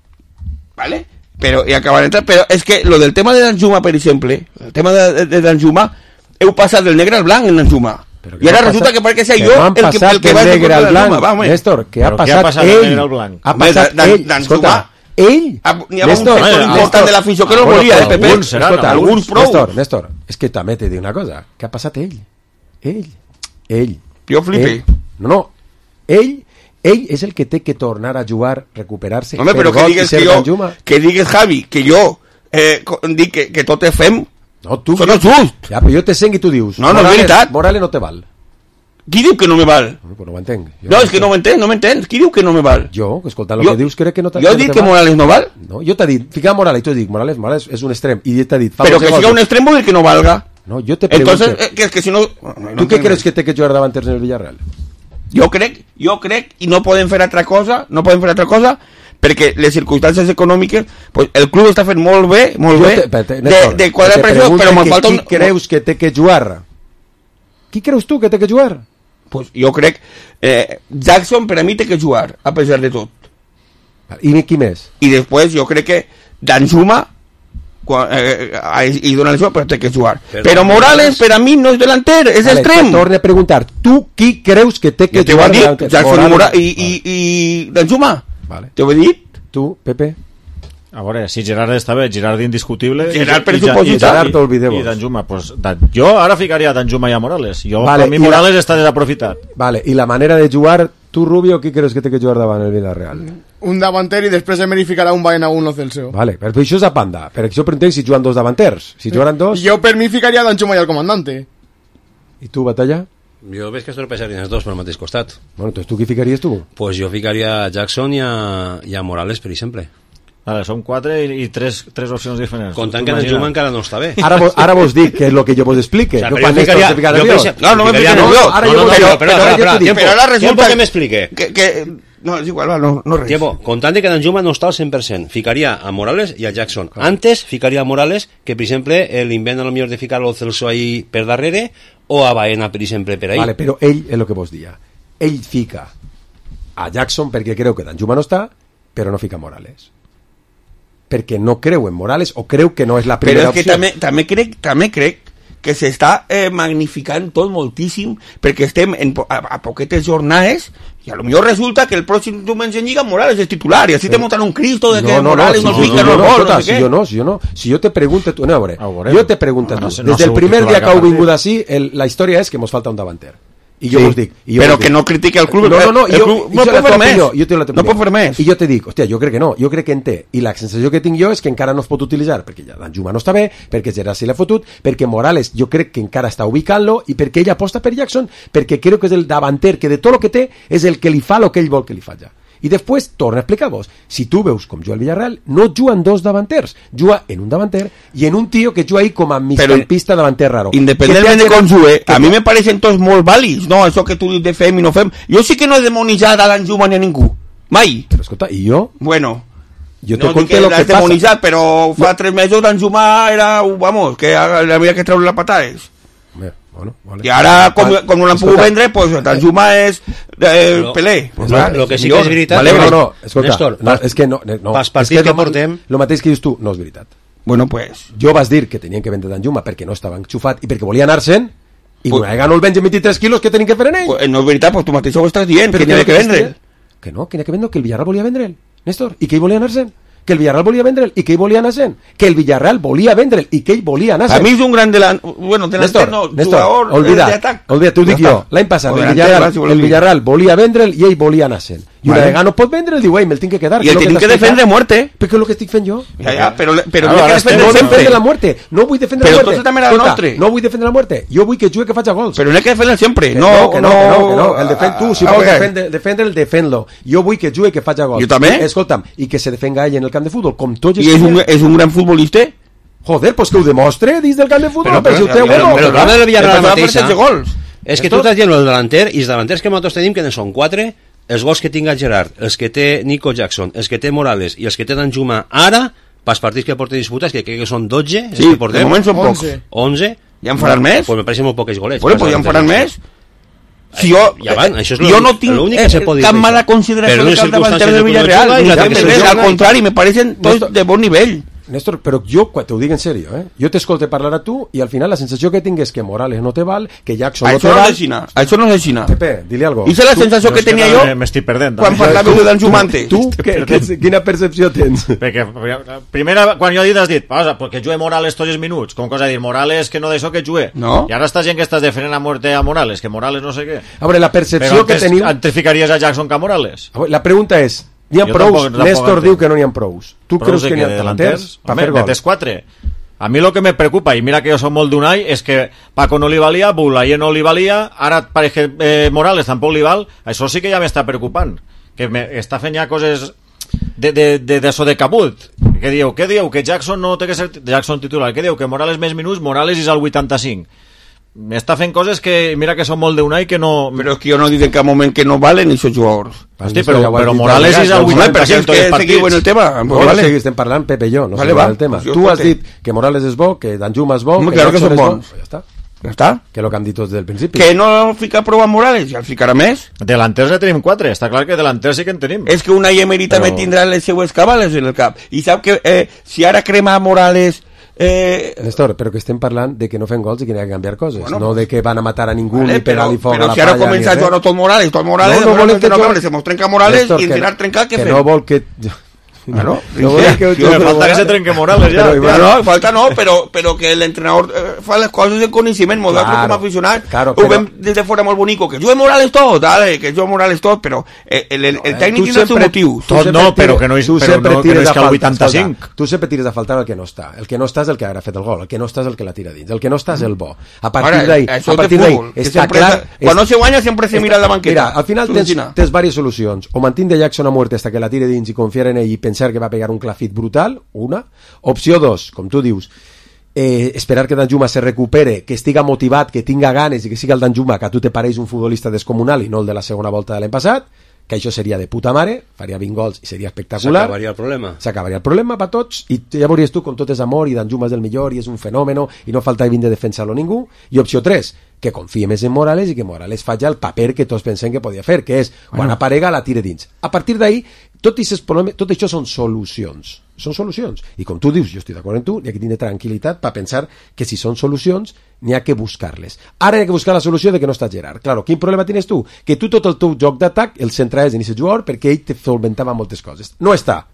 ¿Vale? Pero, y acabar de entrar, pero es que lo del tema de Danjuma, per exemple, el tema de Danjuma, heu passat del negre al blanc en Danjuma. I ara resulta que perquè ser jo el que va del negre al blanc. Néstor, que ha passat ell. Ha passat ell. Escolta, ell... N'hi ha un sector important de l'afició que no volia, Pepe. Alguns prou. Néstor, és que també t'he dit una cosa. Que ha passat ell. Ell. Jo flipé. No. Ell és el que té que tornar a jugar, recuperar-se. Home, però que digues, Javi, que jo dic que tot és fem. No, tu... Això no és just. Ja, però jo te sent i tu dius... No, no és veritat. Morales no te val. Qui diu que no me val? No ho entenc. No, és que no m'entens. Qui diu que no me val? Jo, escoltant el que dius, crec que no te val. Jo dic que Morales no val? No, jo t'he dit, fica Morales, i tu dic, Morales és un extrem, i t'he dit... Però que siga un extrem vol dir que no valga. No, jo te pregunto... Entonces, que si no... ¿Tú qué crees que té que jugar davanters en el Villarreal? Jo crec, i no poden fer altra cosa, perquè les circumstàncies econòmiques, pues el club està fent molt bé, de quadrar pressió, però me'n falta un... Qui creus que té que jugar? Qui creus tu que té que jugar? Pues jo crec, Jackson per a mi té que jugar, a pesar de tot. I qui més? I després jo crec que Danjuma i donar això, però té que jugar. Però Morales per a mi no és delanter, és extrem. Torne a preguntar, tu qui creus que té que jugar? Jackson i Danjuma. Vale. T'ho he dit? Tu, Pepe? A veure, si Gerard està bé, Gerard indiscutible. Gerard per supositat. Gerard t'olvideu. I Danjuma, pues, jo ara ficaria Danjuma i a Morales. Per mi Morales està desaprofitat. Vale, i la manera de jugar, tu Rubio, qui creus que té que jugar davant el Villarreal? Un davanter i després Emery ficarà un Bayern a uno Celso. Vale, però això és a banda. Per això preguntem si juguen dos davanters. Si juguen dos... Jo per mi ficaria Danjuma i el comandante. I tu, Batalla? Jo veig que es tropeixarien els dos per al mateix costat. Bueno, entonces tu qui ficaries tu? Pues jo ficaria a Jackson i a Morales, per exemple. Vale, són 4 i 3 opcions diferents. Comptant que Danjuma encara no està bé. Ara vos dic que és el que jo vos explique. O sea, jo quan Néstor se fica nerviós. No me fica nerviós. Però ara resulta tiempo que me explique. No, és igual, no res. Tiempo, comptant que Danjuma no està al 100%, ficaria a Morales i a Jackson. Antes ficaria a Morales, que per exemple l'invent a lo millor de ficar el Celso ahí per darrere, o a Baena, per exemple, per ahí. Vale, però ell és el que vos dia. Ell fica a Jackson perquè creu que Danjuma no està, però no fica Morales. Perquè no creu en Morales o creu que no és la primera opció. Però és que també crec que s'està magnificant tot moltíssim perquè estem a poquetes jornades i a lo millor resulta que el pròxim diumenge en Lliga Morales és titular i així te montan un Cristo de que Morales no fica no gol, no sé què. Si jo te pregunto, tu, no, jo te pregunto des del primer dia que heu vingut així, la història és que mos falta un davanter. I jo us dic... Però que no critique el club. No, jo pot fer més. No pot fer més. I jo te dic, hòstia, jo crec que no, jo crec que en té. I la sensació que tinc jo és que encara no es pot utilitzar, perquè ja Danjuma no està bé, perquè Gerard se l'ha fotut, perquè Morales jo crec que encara està ubicant-lo, i perquè ell aposta per Jackson, perquè crec que és el davanter que de tot el que té és el que li fa el que ell vol que li faci. I després torna a explicar-vos, si tu veus com juga el Villarreal, no juguen dos davanters, juga en un davanter i en un tio que juga ahí com a migcampista davanter raro. Independentment de com jugue, a mi me pareixen tots molt vàlids, no? Això que tu dius de fem i no fem. Jo sí que no he demonitzat a Danjuma ni a ningú, mai. Però escolta, i jo? Bueno, jo no dic que l'has demonitzat, però fa 3 mesos Danjuma era, vamos, que havia que treure les patades. Bueno, vale. I ara, com no l'han pogut vendre, pues Danjuma és Pelé. Lo que sí que és veritat... Néstor, és que no... Pas partit que portem... Lo mateix que dius tu, no és veritat. Bueno, pues... Jo vas dir que tenien que vendre Danjuma perquè no estava enxufat i perquè volia anar-se'n, i una vegada no el venden 23 quilos, què tenien que fer en ell? No és veritat, pues tu mateix ho estàs dient, que n'hi ha que vendre. Que no, que n'hi ha que vendre, que el Villarreal volia vendre'l, Néstor, i que ell volia anar-se'n. Que el Villarreal volia vendre'l i que ell volia anar-se'n. Que el Villarreal volia vendre'l i que ell volia anar-se'n. A mi és un gran delanter, no, jugador d'atac. Olvida, t'ho dic jo. L'any passat el Villarreal volia vendre'l i ell volia anar-se'n. I una vegada no pot vendre'l, diu, me'l tinc que quedar. I el tinc que defendre a muerte. Perquè és el que estic fent jo. Ja, però no defendre la muerte. No vull defendre la muerte. Però tot també era el nostre. No vull defendre la muerte. Jo vull que jugui que faci gols. Però no hay que defender sempre. No. El defèn tu, si vols defendre'l, defèn-lo. Jo vull que jugui que faci gols. Jo també. Escolta'm, i que se defenga ell en el camp de futbol, com tots. I és un gran futbolista? Joder, pues que ho demostre dins del camp de futbol. Però el problema del Villarreal mateixa és que tu estàs dient el delanter, i els delanters que nosaltres tenim, que ne són 4, els gols que tinga Gerard, els que té Nico Jackson, els que té Morales i els que té Danjuma ara, pels partits que porten disputats, que crec que són 12, sí, que portem, de moment són pocs. 11. Ja en faran més? Pues me pareixen molt pocs golets. Bueno, pues ja en faran més. Si jo no tinc cap mala consideració del cap davanter del Villarreal, al contrari, me pareixen tots de bon nivell. Néstor, però jo, quan t'ho dic en sèrio, jo t'escolte parlar a tu i al final la sensació que tinc és que Morales no te val, que Jackson no te val... Això no és així. Pepe, dile algo. I és la sensació que tenia jo quan parlàveu de Danjuma antes. Tu, quina percepció tens? Perquè, primera, quan jo he dit, has dit, perquè jugue Morales tots els minuts, com cosa de dir, Morales que no d'això que jugue. No. I ara estàs dient que estàs defendent a muerte a Morales, que Morales no sé què. A veure, la percepció que teniu... Però antes ficaries a Jackson que a Morales. La pregunta és, n'hi ha prous? Néstor diu que no n'hi ha prous. Tu creus que n'hi ha delanters? Home, metes 4. A mi lo que me preocupa, i mira que jo soc molt d'Unai, és que Paco no li valia, Boulaye no li valia, ara pareix que Morales tampoc li val. Això sí que ja m'està preocupant, que està fent ja coses d'això de cabut. Què diu? Que Jackson no té que ser Jackson titular. Què diu? Que Morales més minuts, Morales és al 85. M'està fent coses que mira que són molt d'Unai que no... Però és que jo no dic en cap moment que no valen aquests jugadors. Hosti, però Morales és al 85 tots els partits. En el tema. Estem parlant Pepe i jo, no sé el tema. Tu has dit que Morales és bo, que Danjuma és bo, que Jackson és bo. Ja està. Que lo que hem dit tots del principi. Que no fica prou a Morales, ja el ficarà més. Delanters ne tenim 4, està clar que delanters sí que en tenim. És que una emerita me tindrà les seues cabales en el cap. I sap que si ara crema Morales... Néstor, però que estem parlant de que no fem gols i que n'hi ha que canviar coses, no de que van a matar a ningú ni pegar-li foc a la palla. Però si ara comença a jugar tot Morales se mos trenca Morales i al final trencar, què fem? Que no vol que... Bueno, falta que se trenque Morales ja. No, falta no, però que l'entrenador fa les coses en coneixement, nosaltres com a aficionats ho veiem des de fora molt bonic, que jugue Morales tot, que jugue Morales tot, però el tècnic tindrà els seus motius. Tot no, però que no és que el 85. Tu sempre tires a faltar el que no està. El que no està és el que ha fet el gol, el que no està és el que la tira dins, el que no està és el bo. A partir d'ahí està clar... Quan no se guanya sempre se mira la banqueta. Mira, al final tens diverses solucions. O mantindre Jackson a muerte hasta que la tire dins i confiar en ell i pensar pensar que va pegar un clafit brutal, una. Opció 2, com tu dius, esperar que Danjuma se recupere, que estiga motivat, que tinga ganes i que siga el Danjuma que a tu te pareix un futbolista descomunal i no el de la segona volta de l'any passat, que això seria de puta mare, faria 20 gols i seria espectacular. S'acabaria el problema. S'acabaria el problema per tots i ja veuries tu com tot és amor i Danjuma és el millor i és un fenòmeno i no falta de defensar-lo ningú. I opció 3, que confie més en Morales i que Morales faci el paper que tots pensem que podia fer, que és quan aparega la tire dins. A partir d'ahí, tot això són solucions. Són solucions. I com tu dius, jo estic d'acord amb tu, n'hi ha que tenir tranquil·litat per pensar que si són solucions, n'hi ha que buscar-les. Ara hi ha que buscar la solució de que no està Gerard. Claro, quin problema tens tu? Que tu tot el teu joc d'atac el centraves en aquest jugador perquè ell te solventava moltes coses. No està.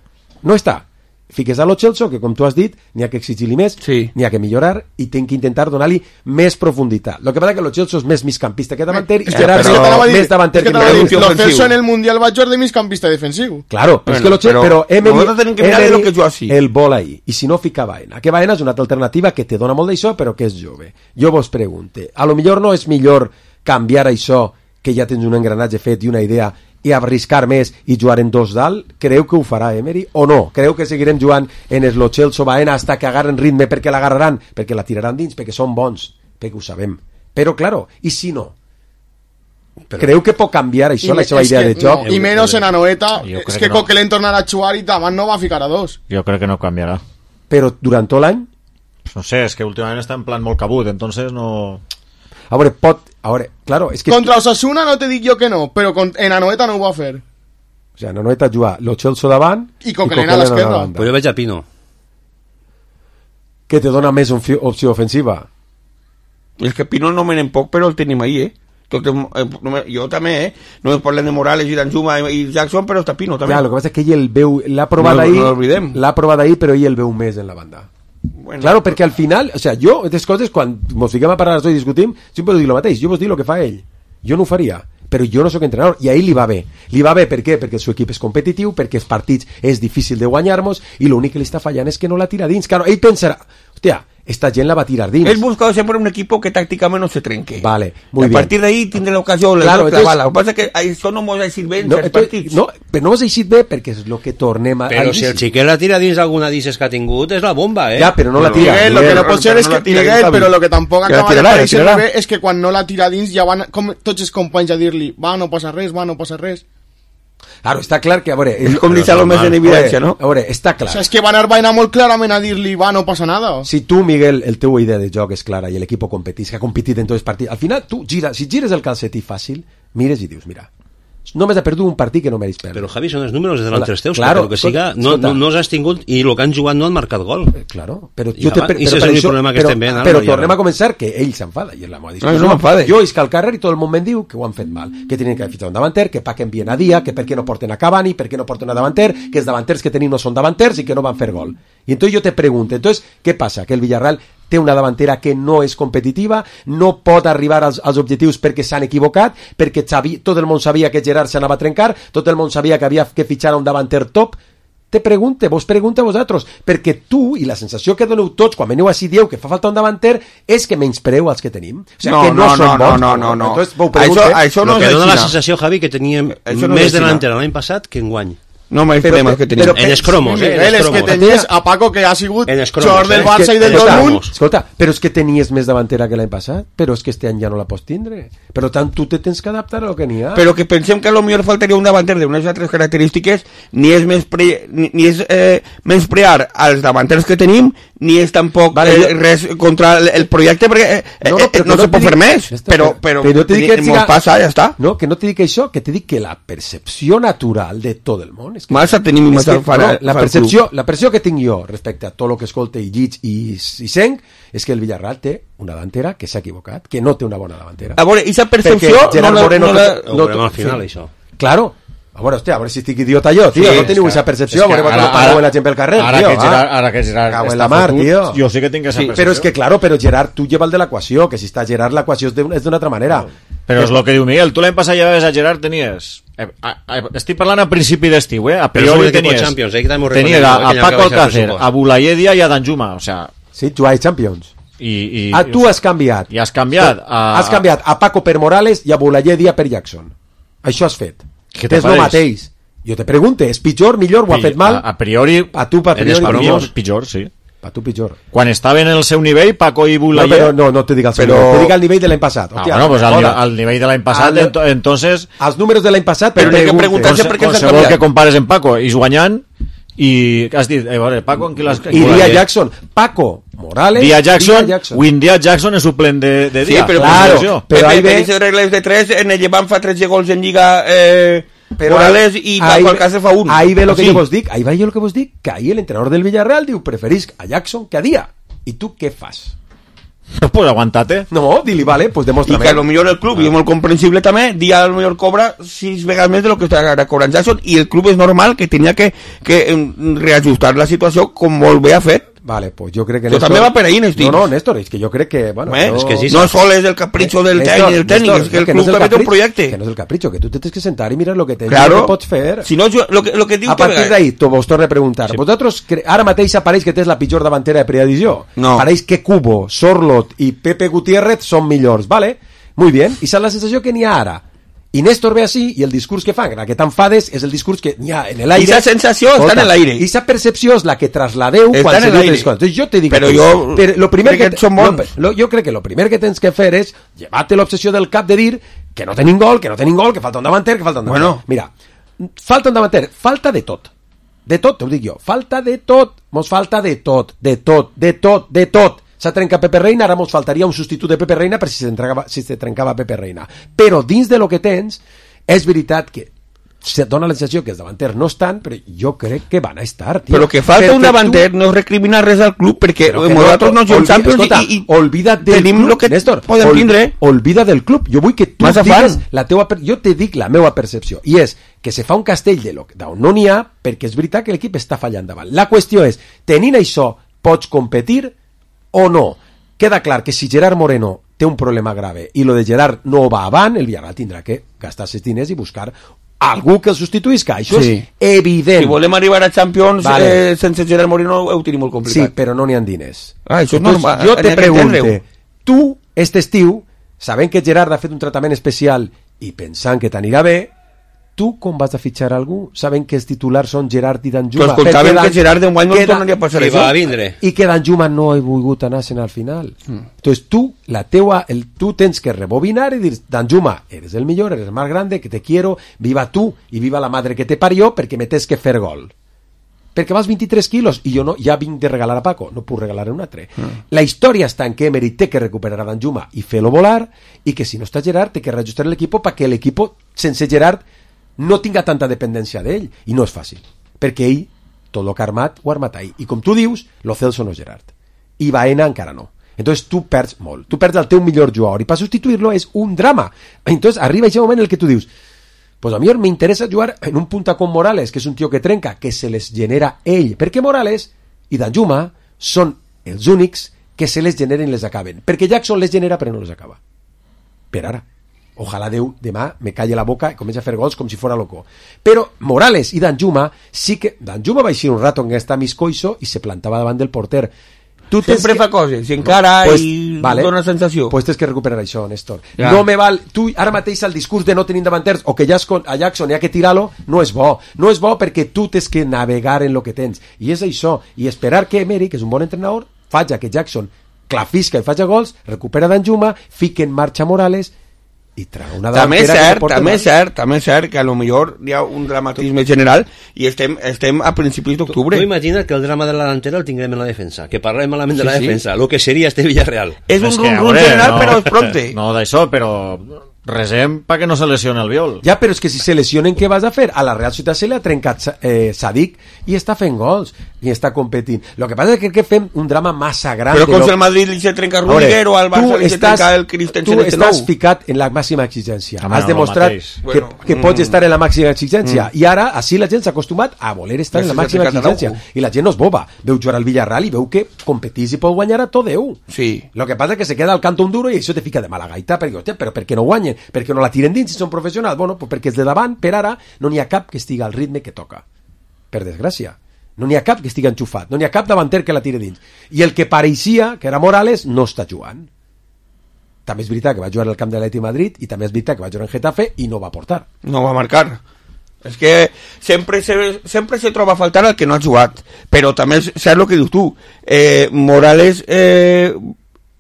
Fiques a Lo Celso, que com tu has dit, n'hi ha que exigir-li més, n'hi ha que millorar i ten que intentar donar-li més profunditat. Lo que passa que Lo Celso és més migcampista que davanter i Gerard més davanter que Lo Celso en el Mundial va jugar de migcampista defensiu. Claro, bueno, és que Lo Celso, però Emery el vol ahí, i si no fica Baena, que Baena és una altra alternativa que te dona molt d'això però que és jove. Jo vos pregunte, a lo millor no és millor canviar això que ja tens un engranatge fet i una idea i arriscar més i jugar en dos dalt? Creu que ho farà Emery o no? Creu que seguirem jugant en el Lo Celso Baena hasta que agarren ritme perquè l'agarraran? Perquè la tiraran dins, perquè són bons, perquè ho sabem. Però, claro, i si no? Creu que pot canviar això, la seva idea de joc? No, i menys en Anoeta, és que Coquelin tornarà a jugar i davant no va ficar a dos. Jo crec que no canviarà. Però durant tot l'any? No sé, és que últimament està en plan molt cabut, entonces no... A veure, claro, és que... Contra Osasuna no te dic jo que no, però en Anoeta no ho va fer. O sigui, en Anoeta juga Lo Celso davant i Coquelin a l'esquerra. Però jo veig a Pino. Que te dona més opció ofensiva. És que Pino no menen poc, però el tenim ahí, jo també, no parlem de Morales i Danjuma i Jackson, però està Pino també. Clar, el que passa és que ell el veu, l'ha provat ahí, però ell el veu més en la banda. Bueno, claro, perquè al final, o sea, jo, aquestes coses, quan mos fiquem a parlar i discutim, sempre dic el mateix, jo vos dic el que fa ell, jo no ho faria, però jo no sóc entrenador, i a ell li va bé, per què? Perquè el seu equip és competitiu, perquè els partits és difícil de guanyar-nos, i l'únic que li està fallant és que no la tira dins. Claro, ell pensarà, hòstia, esta gent la va tirar dins. Él buscaba siempre un equipo que tácticamente no se trenque. Vale, muy bien. A partir de ahí tindrà l'ocasió, claro, la bala. Lo que pasa es que això no mos ha eixit bé en certs partits. No, però no mos ha eixit bé perquè és el que tornem a... Però si el xiquet la tira dins alguna d'ixes que ha tingut, és la bomba, Ja, però no la tira. Miguel, lo que no pot ser és que... Miguel, però lo que tampoc acaba de pareixer bé és que quan no la tira dins ja van tots els companys a dir-li no passa res. Claro, està clar que, a veure... És com deixar-lo més en evidència, no? A veure, està clar. O sea, és que Van Arbaina molt clarament a dir-li, no passa nada. Si tu, Miguel, el teu idea de joc és clara i l'equip competís, que ha competit en tots els partits, al final, tu si gires el calcetí fàcil, mires i dius, mira, només ha perdut un partit que no mereix perdre. Però, Javi, són els números de delanteros teus, claro, que siga, no has tingut, i el que han jugat no han marcat gol. Claro, però tornem a començar que ell s'enfada, i és la meva discussió. Jo isc al carrer i tot el món me'n diu que ho han fet mal, que tenien que haver fitxat un davanter, que paquen bien a dia, que per què no porten a Cavani, per què no porten a davanter, que els davanters que tenim no són davanters i que no van fer gol. I entonces jo te pregunto, entonces, què passa? Que el Villarreal té una davantera que no és competitiva, no pot arribar als objectius perquè s'han equivocat, perquè tot el món sabia que Gerard s'anava a trencar, tot el món sabia que havia que fitxar un davanter top. Vos pregunta a vosaltres, perquè tu, i la sensació que doneu tots quan veniu així dieu que fa falta un davanter, és que menyspreu els que tenim. O sigui, que no són bons. No. Això no és dona la sensació, Javi, que teníem més delantera l'any passat que enguany. No més problemes que tenim. En els cromos, Miguel, és que tenies a Paco, que ha sigut jugador del Barça i del Dortmund. Escolta, però és que tenies més davantera que l'any passat, però és que este any ja no la pots tindre. Per tant, tu te tens que adaptar a lo que n'hi ha. Però que pensem que a lo millor faltaria un davanter d'unes altres característiques, ni és menysprear als davanters que tenim, ni és tampoc res contra el projecte, perquè no se pot fer més. Però mos passa, ja està. No, que no te dic això, que te dic que la percepció natural de tot el món massa tenim la percepció que tinc jo respecte a tot el que escolte i lliig i senc és que el Villarreal té una davantera que s'ha equivocat, que no té una bona davantera. A veure, aquesta percepció no al final, això. Claro. A veure, si estic idiota jo, tio, no teniu aquesta percepció, a veure, quan parlo la gent pel carrer, ara que Gerard cago en la mar, tio. Jo sí que tinc aquesta percepció. Però és que, claro, però Gerard, tu lleva el de l'equació, que si està Gerard, l'equació és d'una altra manera. Però és el que diu Miguel, tu l'any passat llevaves a Gerard, tenies... Estic parlant a principi d'estiu, a priori tenies a Paco Alcácer, a Bulayedia i a Danjuma, o sea... Sí, jugava Champions. Tu has canviat. I has canviat a Paco per Morales i a Bulayedia per Jackson. Això has fet. Que és el mateix. Jo te pregunto, és pitjor, millor, ho ha fet mal? A priori, a tu, per priori, pitjor, sí. A tu pitjor. Quan estaven en el seu nivell, Paco i No, Bulayer... però no te dic el seu nivell, te dic el nivell de l'any passat. Hòstia, bueno, pues al nivell de l'any passat, entonces... Els números de l'any passat... Però n'hi ha que preguntar-se per què s'ha canviat. Que compares en Paco i guanyant, i has dit, Paco, en qui l'has... I Dia Jackson, Paco Morales... Dia Jackson, Dia Jackson és suplent de Dia. Sí, però claro, però ahí ve... Per regles de 3, en el Llevant fa 13 gols en Lliga... Morales i Paco Alcácer fa 1. Ahí ve lo que yo vos dic, ahí va yo lo que vos dic, que ahí el entrenador del Villarreal diu, preferís a Jackson que a Dia. I tu què fas? Pues aguantate. No, dili, vale, pues demostra'm. I que a lo millor el club, i és molt comprensible també, Dia a lo millor cobra 6 vegades més de lo que està cobrant Jackson, i el club és normal que tenia que reajustar la situació com molt bé ha fet. Vale, pues yo creo que Néstor... també va per ahí, Néstor. No, Néstor, es que yo creo que... Bueno, es que sí, no solo es el capricho del técnico, es que el club també té un projecte. Que no és el capricho, que tú te tienes que sentar y mirar lo que tens, claro. Lo que pots fer. Si no, lo que diu... A partir d'ahí, vos torno a preguntar. Sí. Vosaltres, ara mateix apareix que tens la pitjor davantera de preedició. No. Apareix que Cubo, Sorlot i Pepe Gutiérrez són millors, ¿vale? Muy bien. I és la sensació que n'hi ha ara. I Néstor ve així, i el discurs que fan, que t'enfades, és el discurs que n'hi ha en l'aire. I esa sensació està en l'aire. I esa percepció és la que trasladeu quan se diu les coses. Entonces, jo te dic... Però jo lo primer crec que són bons. Jo crec que lo primer que tens que fer és llevar-te l'obsessió del cap de dir que no tenim gol, que falta un davanter, que falta un davanter. Bueno. Mira, falta un davanter, falta de tot. De tot, t'ho dic jo. Falta de tot. Mos falta de tot. S'ha trencat Pepe Reina, ara mos faltaria un substitut de Pepe Reina per si se trencava Pepe Reina. Però dins de lo que tens, és veritat que se dona la sensació que els davanters no estan, però jo crec que van a estar, tio. Però que falta un davanter no recrimina res al club, perquè nosaltres no som Champions i olvida't del club, que Néstor, podem tindre. Olvida del club. Jo vull que tu digues la teua... Jo te dic la meva percepció, i és que se fa un castell d'on no n'hi ha, perquè és veritat que l'equip està fallant davant. La qüestió és, tenint això, pots competir o no? Queda clar que si Gerard Moreno té un problema grave i lo de Gerard no va avant, el Villarreal tindrà que gastar els diners i buscar algú que el substituïsca. Això és evident. Si volem arribar a Champions sense Gerard Moreno ho tenim molt complicat. Sí, però no n'hi ha diners. Això és normal. Jo te pregunto, tu, este estiu, sabent que Gerard ha fet un tractament especial i pensant que t'anirà bé, tu com vas a fitxar algú sabent que els titulars són Gerard i Danjuma? Però escoltàvem que Gerard d'enguany no tornaria a passar això. I que Danjuma no ha volgut anar-se'n al final. Entonces tu tens que rebobinar i dir, Danjuma, eres el millor, eres el más grande, que te quiero, viva tu y viva la madre que te parió, perquè me tens que fer gol. Perquè vas 23 quilos i jo no, ja vinc de regalar a Paco, no puc regalar un altre. La història està en que Emery té que recuperar a Danjuma i fer-lo volar, i que si no està Gerard té que reajustar l'equip perquè l'equip sense Gerard no tinga tanta dependència d'ell, i no és fàcil, perquè ell, tot el que ha armat, ho ha armat ahir, i com tu dius, lo Celso no és Gerard, i Baena encara no, entonces tu perds molt, tu perds el teu millor jugador, i per substituir-lo és un drama, entonces arriba aquest moment en el que tu dius, pues a mi me interessa jugar en un punta con Morales, que és un tio que trenca, que se les genera ell, perquè Morales i Danjuma són els únics que se les generen i les acaben, perquè Jackson les genera però no les acaba, per ara. Ojalà Déu demà me calle la boca i comença a fer gols com si fora loco. Però Morales i Danjuma sí que... Danjuma va eixir un rato en esta miscoiso i se plantava davant del porter. Sempre fa coses, si encara i dona sensació. Pues tens que recuperar això, Néstor. No me val... Tu ara mateix el discurs de no tenir davanters o que ja a Jackson hi ha que tirar-lo no és bo. No és bo perquè tu tens que navegar en lo que tens. I és això. I esperar que Emery, que és un bon entrenador, faci que Jackson clafisca i faci gols, recupera Danjuma, fique en marxa Morales i traga una també és cert que a lo millor hi ha un dramatisme general i estem a principis d'octubre. Tu imagina't que el drama de la delantera el tinguem en la defensa, que parlem malament de la defensa, lo que seria este Villarreal. És un rum general, però és prompte. No d'això, però resem perquè no se lesione el Viol. Ja, però és que si se lesionen, què vas a fer? A la Real Ciutat se li ha trencat Sadik i està fent gols i està competint. Lo que passa és que crec que fem un drama massa gran. Però com si al Madrid li se trenca Rudiger o al Barça li se trenca el Christensen. Tu estàs ficat en la màxima exigència. Has demostrat que pots estar en la màxima exigència i ara, així la gent s'ha acostumat a voler estar en la màxima exigència. I la gent no és boba. Veu jugar al Villarreal i veu que competís i pot guanyar a tot Déu. Sí. Lo que passa és que se queda al canto un duro i això te fica de mala gaita perquè, hòstia, però per què no guanyen? Perquè no la tiren dins si són professionals? Bueno, pues perquè els de davant, per ara, no n'hi ha cap que estigui al ritme que toca. Per desgràcia. No n'hi ha cap que estigui enxufat. No n'hi ha cap davanter que la tire dins. I el que pareixia, que era Morales, no està jugant. També és veritat que va jugar al camp de l'Atlètic Madrid i també és veritat que va jugar en Getafe i no va portar. No va marcar. És que sempre se troba a faltar el que no ha jugat, però també saps el que dius tu, Morales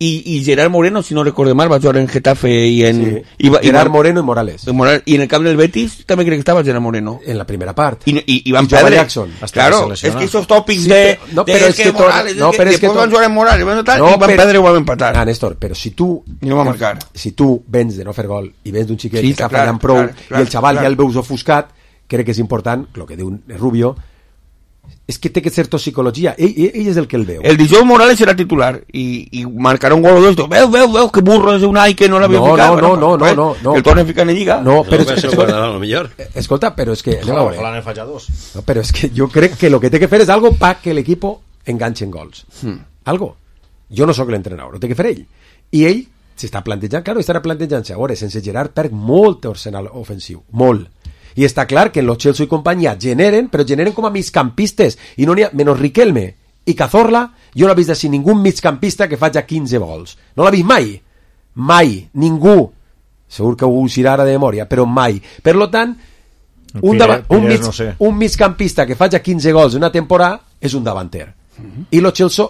i Gerard Moreno, si no recordo mal, va jugar en Getafe i en... Sí. Gerard Moreno i Morales. I en el camp del Betis també crec que estava Gerard Moreno. En la primera part. I van perdre. Jackson. Claro, és que esos tòpics Morales, después van jugar en Morales, i van perdre o van empatar. Néstor, però si tu... No va marcar. Si tu vens de no fer gol i vens d'un xiquet que està fallant prou i el xaval ja el veus ofuscat, crec que és important, el que diu Rubio, és que té que ser tot psicologia. Ell és el que el veu. El dijous Morales serà titular i marcarà un gol o dos. Veu, que burro és un ai que no l'havia ficat. No. El torna a ficar en Lliga. No, però escolta, però és que... Ojalá ne falla dos. No, però és que jo crec que lo que té que fer és algo pa que l'equipo enganche en gols. Algo. Jo no sóc l'entrenador, ho té que fer ell. I ell s'està plantejant, claro, estarà plantejant-se, a veure, sense Gerard perd molt arsenal ofensiu, molt. I està clar que en los Chelsea i companyia generen, però generen com a migcampistes, i no n'hi ha, menys Riquelme i Cazorla, jo no he vist així ningú migcampista que faci 15 gols. No l'he vist mai, ningú. Segur que ho usirà ara de memòria, però mai. Per lo tant, un migcampista que faci 15 gols una temporada és un davanter. I los Chelsea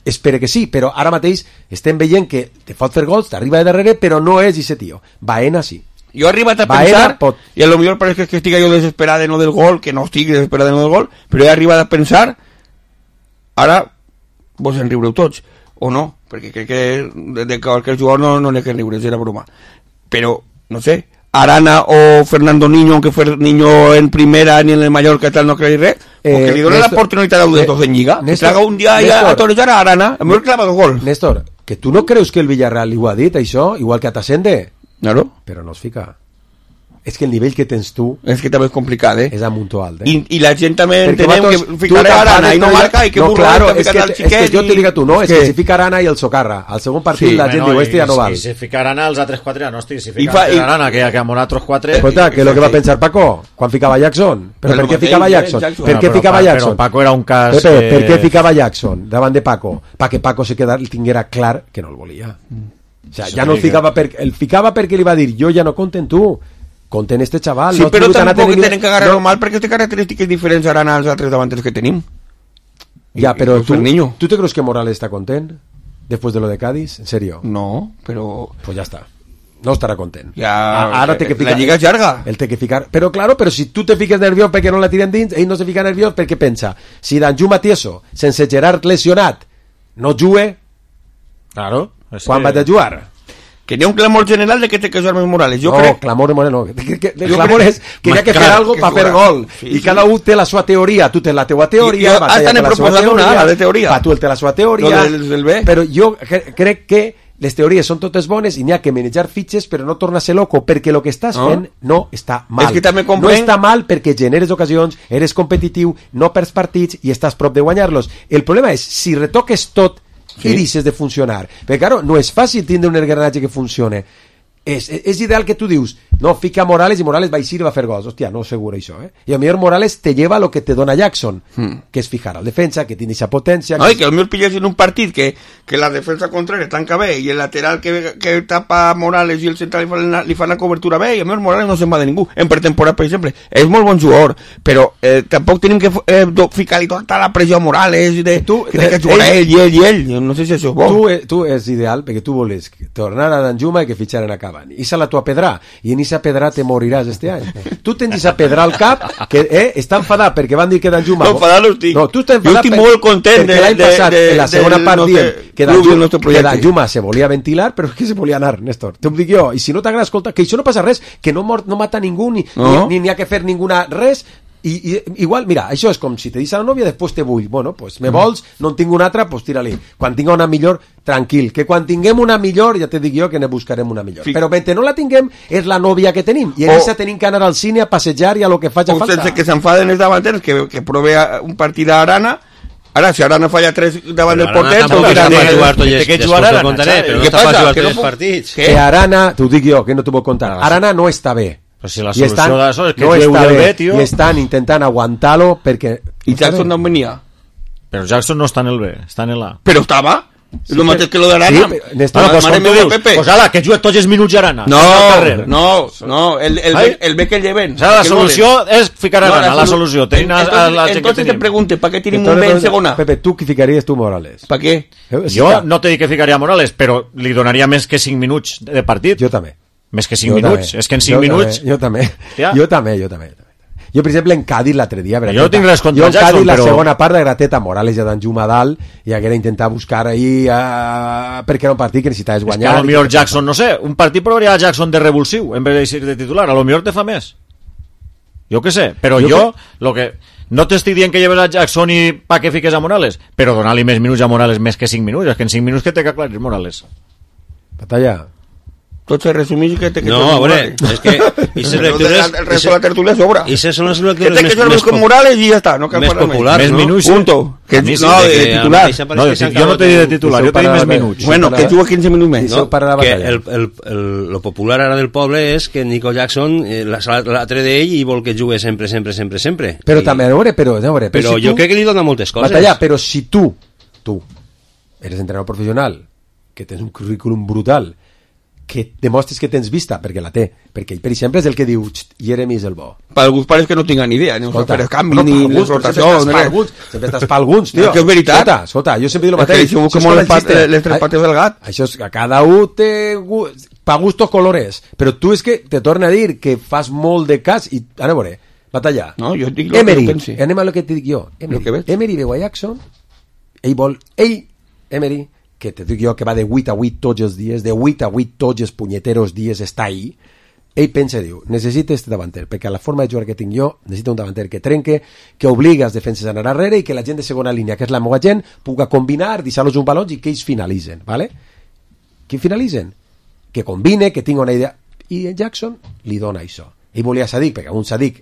espero que sí, però ara mateix estem veient que te fot fer gols, t'arriba de darrere, però no és ese tio. Baena sí. Jo he arribat a pensar, i a lo millor pareix que estic jo desesperat de no del gol, que no estic desesperat de no del gol, però he arribat a pensar, ara vos en riureu tots, o no, perquè crec que de qualsevol jugador no n'hi ha que riure, era broma. Però, no sé, Arana o Fernando Niño, aunque fue Niño en primera ni en el Mallorca tal, no creéis res, porque le donen la oportunidad a los dos en Lliga. Que traga un día a torejar a Arana, a mejor clava dos gol. Néstor, que tu no creus que el Villarreal li ho ha dit, això, igual que a Tassende? Claro. Però no es fica. És que el nivell que tens tu... És que també és complicat, És amunt o alt, I la gent també entenem que ficarà Arana i no marca i que no, claro, és que jo te dic a tu, no, és que si fica Arana i el Socarra, al segon partit la gent diu, este ja no val. I si fica Arana els altres 4 ja no estic, si fica Arana que ha morat otros 4... Escolta, que és el que va pensar Paco quan ficava Jackson. Però per què ficava Jackson? Per què ficava Jackson? Però Paco era un cas... Per què ficava Jackson davant de Paco? Perquè Paco se tinguera clar que no el volia. O sea, ja no el ficava perquè li va dir, jo ja no compte en tu, compte en este chaval. Sí, però tampoc tenen que agarrar-lo mal perquè té característiques diferents ara als altres davanters que tenim. Ja, però tu te creus que Morales està content després de lo de Cádiz? ¿En serio? No, però... Pues ya está. No estarà content. Ja, ara té que ficar, la lliga és llarga. El té que ficar. Però claro, però si tu te fiques nerviós perquè no la tiren dins, ell no se fica nerviós perquè pensa, si Danjuma Tieso, sense Gerard lesionat, no jugue, claro, quan va de jugar? Que hi ha un clamor general de que té que jugar més Morales. Jo crec... clamor no. El clamor és que hi ha que fer algo per fer gol. I cada un té la seva teoria. Tu tens la teua teoria, hasta n'he proposat una, la de teoria. Tu el té la seva teoria. Però jo crec que les teories són totes bones i n'hi ha que manejar fitxes però no tornar a ser loco perquè el que estàs fent no està mal. No està mal perquè generes ocasions, eres competitiu, no perds partits i estàs prop de guanyar-los. El problema és, si retoques tot i deixes de funcionar, perquè claro, no és fàcil tindre un engranatge que funcione. És ideal que tu dius, no, fica Morales i Morales va eixir i va fer gols. Hòstia, no segura això, I a millor Morales te lleva lo que te dona Jackson, que és fijar al defensa, que tiene esa potència. No, i que a millor pilles en un partit que la defensa contraria tanca bé i el lateral que tapa Morales i el central li fan la cobertura bé i a millor Morales no se'n va de ningú. En pretemporada, per exemple, és molt bon jugador, però tampoc tenim que ficar-li tota la pressió a Morales que té que jugar ell. No sé si això és bo. Tu és ideal perquè tu voles tornar a Danjuma i que fitxaren a Cavani. Issa la tua pedrà i en issa pedrà te moriràs este any. Tu tens issa pedrà al cap que està enfadat perquè van dir que Danjuma... No, enfadat no estic. No, tu estàs enfadat jo estic molt content perquè l'any passat en la segona part dient que Danjuma se volia ventilar però que se volia anar, Néstor. T'ho dic jo. I si no t'agrada, escolta, que això no passa res, que no mata ningú ni n'hi ha que fer ninguna res. I igual, mira, això és com si te dius a la nòvia, després te vull, bueno, pues me vols, no en tinc una altra, pues tira-li, quan tinga una millor, tranquil, que quan tinguem una millor, ja te dic jo que ne buscarem una millor, però mentre no la tinguem, és la nòvia que tenim, i en aquesta tenim que anar al cine a passejar i a lo que faci falta. O sense que s'enfaden els davanters, que prove un partit a Arana. Ara, si Arana falla 3 davant del porter, que jugar Arana, però no està per jugar 3 partits. Que Arana, t'ho dic jo, que no t'ho puc contar, Arana no està bé. Però si la solució d'això és que no està bé, tio. I estan intentant aguantar-lo perquè... I Jackson no venia. Però Jackson no està en el B, està en el A. Però estava? Lo mateix que lo d'Arana. Pues ala, que juga tots els minuts Arana. No, el bé que lleven. La solució és ficar Arana, la solució. Entonces te pregunte, ¿para qué tienen un bé en segona? Pepe, ¿tú qué ficarías tú Morales? ¿Para qué? Jo no te dic que ficaria Morales, però li donaria més que 5 minuts de partit. Jo també. Més que 5 minuts. És que en 5 minuts... Jo també. Jo, per exemple, en Cádiz l'altre dia... Jo tinc res contra Jackson, però... la segona part de Grateta, Morales i Danjuma a dalt, i haguera intentar buscar ahí... perquè era un partit que necessitaves guanyar... És que a lo millor Jackson, no sé, un partit provaria a Jackson de revulsiu, en vez de ser de titular. A lo millor te fa més. Jo què sé, però jo lo que... No t'estic dient que lleves a Jackson i pa que fiques a Morales, però donar-li més minuts a Morales més que 5 minuts. És que en 5 minuts que té que aclarir Morales. Batalla... Tot se resumís que te no, a veure, és que el resto de la tertulia sobra. I se són les lectures que més con Morales i ja està, no cal més popular, més minuts, punto. Que no, de titular. Jo no t'he dit de titular, jo t'he dit més minuts. Bueno, que juga 15 minuts més. No, que lo popular ara del poble és que Nico Jackson l'altre d'ell i vol que jugui sempre. Però també, a veure, però jo crec que li dona moltes coses. Batalla, però si tu eres entrenador professional, que tens un currículum brutal, que demostres que tens vista, perquè la té, perquè ell, per exemple, és el que diu Jeremy és el bo. Per alguns pares que no tinguin ni idea, ni per el canvi, ni les rotacions, sempre estàs per alguns, tio. Que és veritat. Escolta, jo sempre dic el mateix. Això és com les tres pates del gat. Això és que cada un té pa gustos colores, però tu és que te torna a dir que fas molt de cas i, ara veure, Batalla. No, jo dic Emery, anem a lo que et dic jo. Emery veu a Jackson, Emery, que te dic jo que va de 8 a 8 tots els dies, de 8 a 8 tots els punyeteros dies està ahí, ell pensa i diu, necessita este davanter, perquè a la forma de jugar que tinc jo, necessita un davanter que trenque, que obliga els defenses a anar darrere i que la gent de segona línia, que és la meva gent, puga combinar, deixar-los un balons i que ells finalitzen, ¿vale? Que finalitzen? Que combine, que tingui una idea. I Jackson li dona això. Ell volia Sadik, perquè un Sadik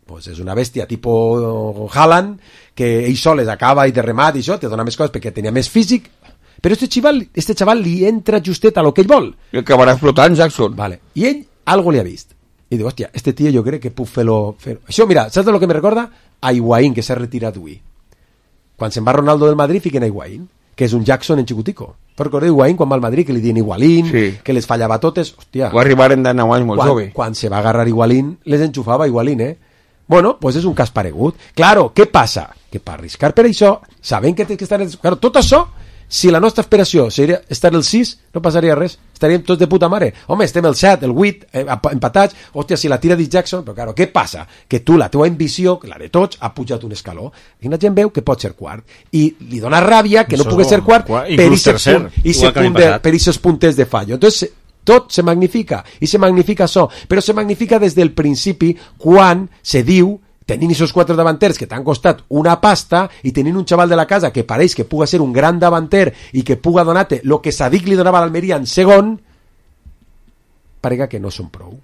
pues és una bèstia tipo Haaland, que ell sol es acaba i de remat i això, te dona més coses perquè tenia més físic. Però este chaval li entra justet a lo que ell vol. I acabarà explotant Jackson. Vale. I ell algo li ha vist. I diu, hòstia, este tio jo crec que puc fer-lo... Això, mira, saps de lo que me recorda? A Higuaín, que s'ha retirat avui. Quan se'n va Ronaldo del Madrid, fiquen a Higuaín, que és un Jackson en xicutico. Però recordeu Higuaín quan va al Madrid, que li diuen Higuaín, sí, que les fallava totes, hòstia. Va arribar en 9 anys molt jove. Quan se va agarrar Higuaín, les enxufava Higuaín, Bueno, pues és un cas paregut. Claro, què passa? Que per arriscar per això, sabent que tens que estar... Claro, tot això, si la nostra aspiració seria estar el 6, no passaria res. Estaríem tots de puta mare. Home, estem el 7, el 8, empatats. Hòstia, si la tira dit Jackson... Però, claro, què passa? Que tu, la teua ambició, la de tots, ha pujat un escaló. I la gent veu que pot ser quart. I li dona ràbia que no pugui ser quart per aquests puntes de fallo. Entonces, tot se magnifica. I se magnifica això. Però se magnifica des del principi quan se diu tenint aquests 4 davanters que t'han costat una pasta i tenint un xaval de la casa que pareix que puga ser un gran davanter i que puga donar-te el que Sadik li donava a l'Almeria en segon, parega que no són prou.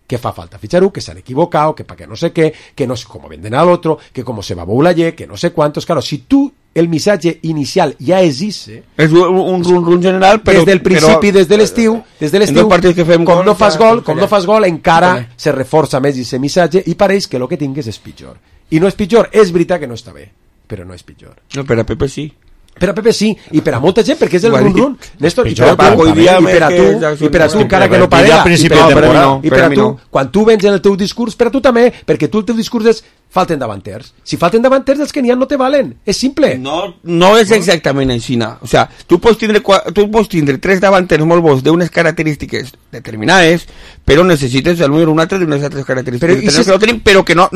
Que fa falta fichar-ho, que s'han equivocat, que perquè no sé què, que no sé com venden a l'altre, que com se va Boulaye, que no sé quantos. Claro, si tu el missatge inicial ja existe, és un run general, però des del principi, des de l'estiu, com no fas gol, encara se reforça més aquest missatge i pareix que el que tingues és pitjor. I no és pitjor, és veritat que no està bé, però no és pitjor. No, per a Pepe sí. Per a Pepe sí, i per a molta gent, perquè és el run-run, Néstor, i per a tu, encara que no parega, i per a tu, quan tu vens en el teu discurs, per a tu també, perquè tu el teu discurs és falten davanters. Si falten davanters, els que n'hi ha no te valen. És simple. No és exactament així. O sea, tu pots tindre 3 davanters molt bons d'unes característiques determinades, però necessites almenys un altre d'unes altres característiques. Però que no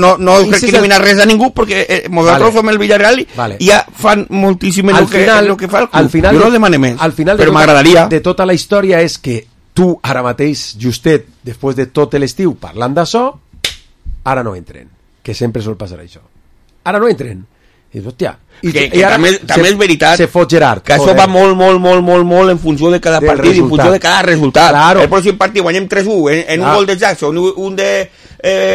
recrimina res a ningú, perquè nosaltres som el Villarreal i ja fan moltíssim el que fa el club. Jo no demane més, però m'agradaria. De tota la història és que tu, ara mateix, justet, després de tot l'estiu, parlant d'això, ara no entren. Que sempre sol passar això. Ara no entren. I dius, hòstia... I també és veritat se fot Gerard, que això va molt en funció de cada partit, en funció de cada resultat. Claro. El pròxim partit guanyem 3-1 en un gol de Jackson, un de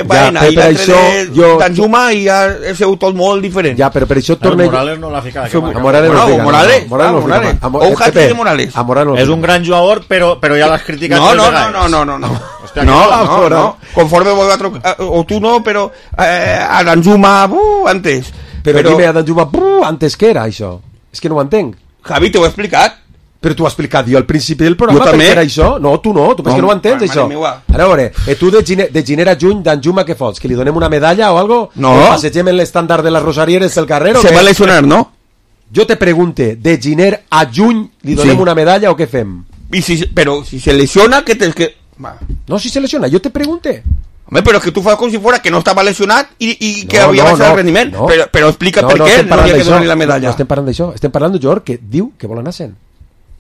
Baena i l'altre de Danjuma, i ja és tot molt diferent. Ja, però per això torna... Morales no l'ha ficat. Morales. O un hat-trick de Morales. És un gran jugador, però ja l'has criticat. No. Conforme o tu no, però a Danjuma antes. Però dime a Danjuma, antes què era això? És que no ho entenc. Javi, t'ho he explicat. Però t'ho he explicat jo al principi del programa per què era això. No, tu penses que no ho entens, això. A veure, tu de gener a juny, d'Anjuma, què fots? Que li donem una medalla o algo? No. O passegem en l'estàndard de les rosarieres del carrer? Se va lesionar, no? Jo te pregunte, de gener a juny li donem una medalla o què fem? Però si se lesiona, que tens que... No, si se lesiona, jo te pregunte. Home, però que tu fas com si fora que no estava lesionat i que havia baixat el rendiment. No. Però explica per què no havia que donar-li la medalla. No estem parlant d'això. Estem parlant d'un jugador que diu que vol anar-se'n.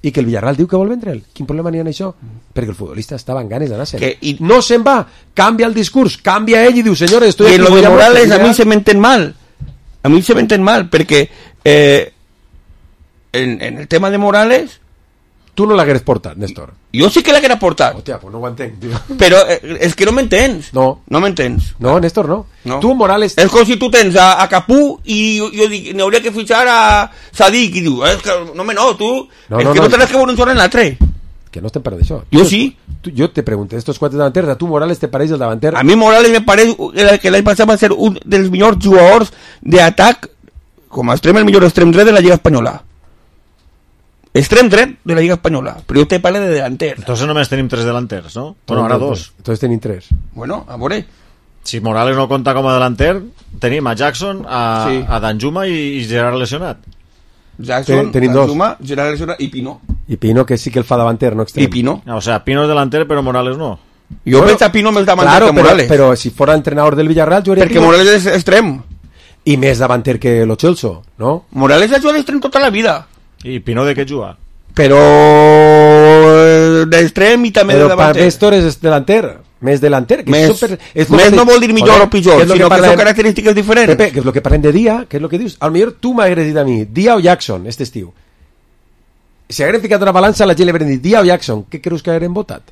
I que el Villarreal diu que vol vendre'l. Quin problema n'hi ha en això? Perquè el futbolista estava en ganes d'anar-se'n. No se'n va. Canvia el discurs. Canvia ell i diu, senyores, estoy aquí. I en lo de Morales a mi se m'entén mal. A mi se m'entén mal, perquè en el tema de Morales... Tu no l'hagueres portat, Néstor. Jo sí que l'haguera portat. Hòstia, pues no ho entenc, tio. Però és que no m'entens. No m'entens. No, Néstor, no. Tu, Morales... És com si tu tens a Capú i jo dic, n'hauria que fitxar a Sadik, i diu, no, tu... És que no tens que veure un jugador en l'altre. Que no estem parlant d'això. Jo sí. Jo te pregunto, estos quatre davanters, a tu Morales te pareix el davanter? A mi Morales me pareix que l'any passat va ser un dels millors jugadors d'atac, com a extrem, el millor extrem dret de la Lliga Espanyola. Extrem dret de la Lliga Espanyola, però jo te parle de delanter. Entonces només tenim 3 delanters, no? Bueno, ara 2. Entonces tenim 3. Bueno, a veure. Si Morales no compta com a delanter, tenim a Jackson, a Danjuma i Gerard lesionat. Jackson, Danjuma, Gerard lesionat i Pino. I Pino, que sí que el fa davanter, no extrem. I Pino. O sea, Pino és delanter, però Morales no. Jo veig a Pino més davanter que Morales. Però si fora entrenador del Villarreal, jo perquè Morales és extrem. I més davanter que Lo Celso, no? Morales ha jugat d'extrem tota la vida. I Pino de què juga? Però d'extrem i també de davanter. Però Néstor és delanter, més delanter. Més no vol dir millor o pitjor, sinó que són característiques diferents. Pepe, que és el que parlem de Dia, que és el que dius. Al millor tu m'hagueres dit a mi, Dia o Jackson, este estiu. Si hagueren ficat una balança, la gent li hagueren dit Dia o Jackson, què creus que hagueren votat?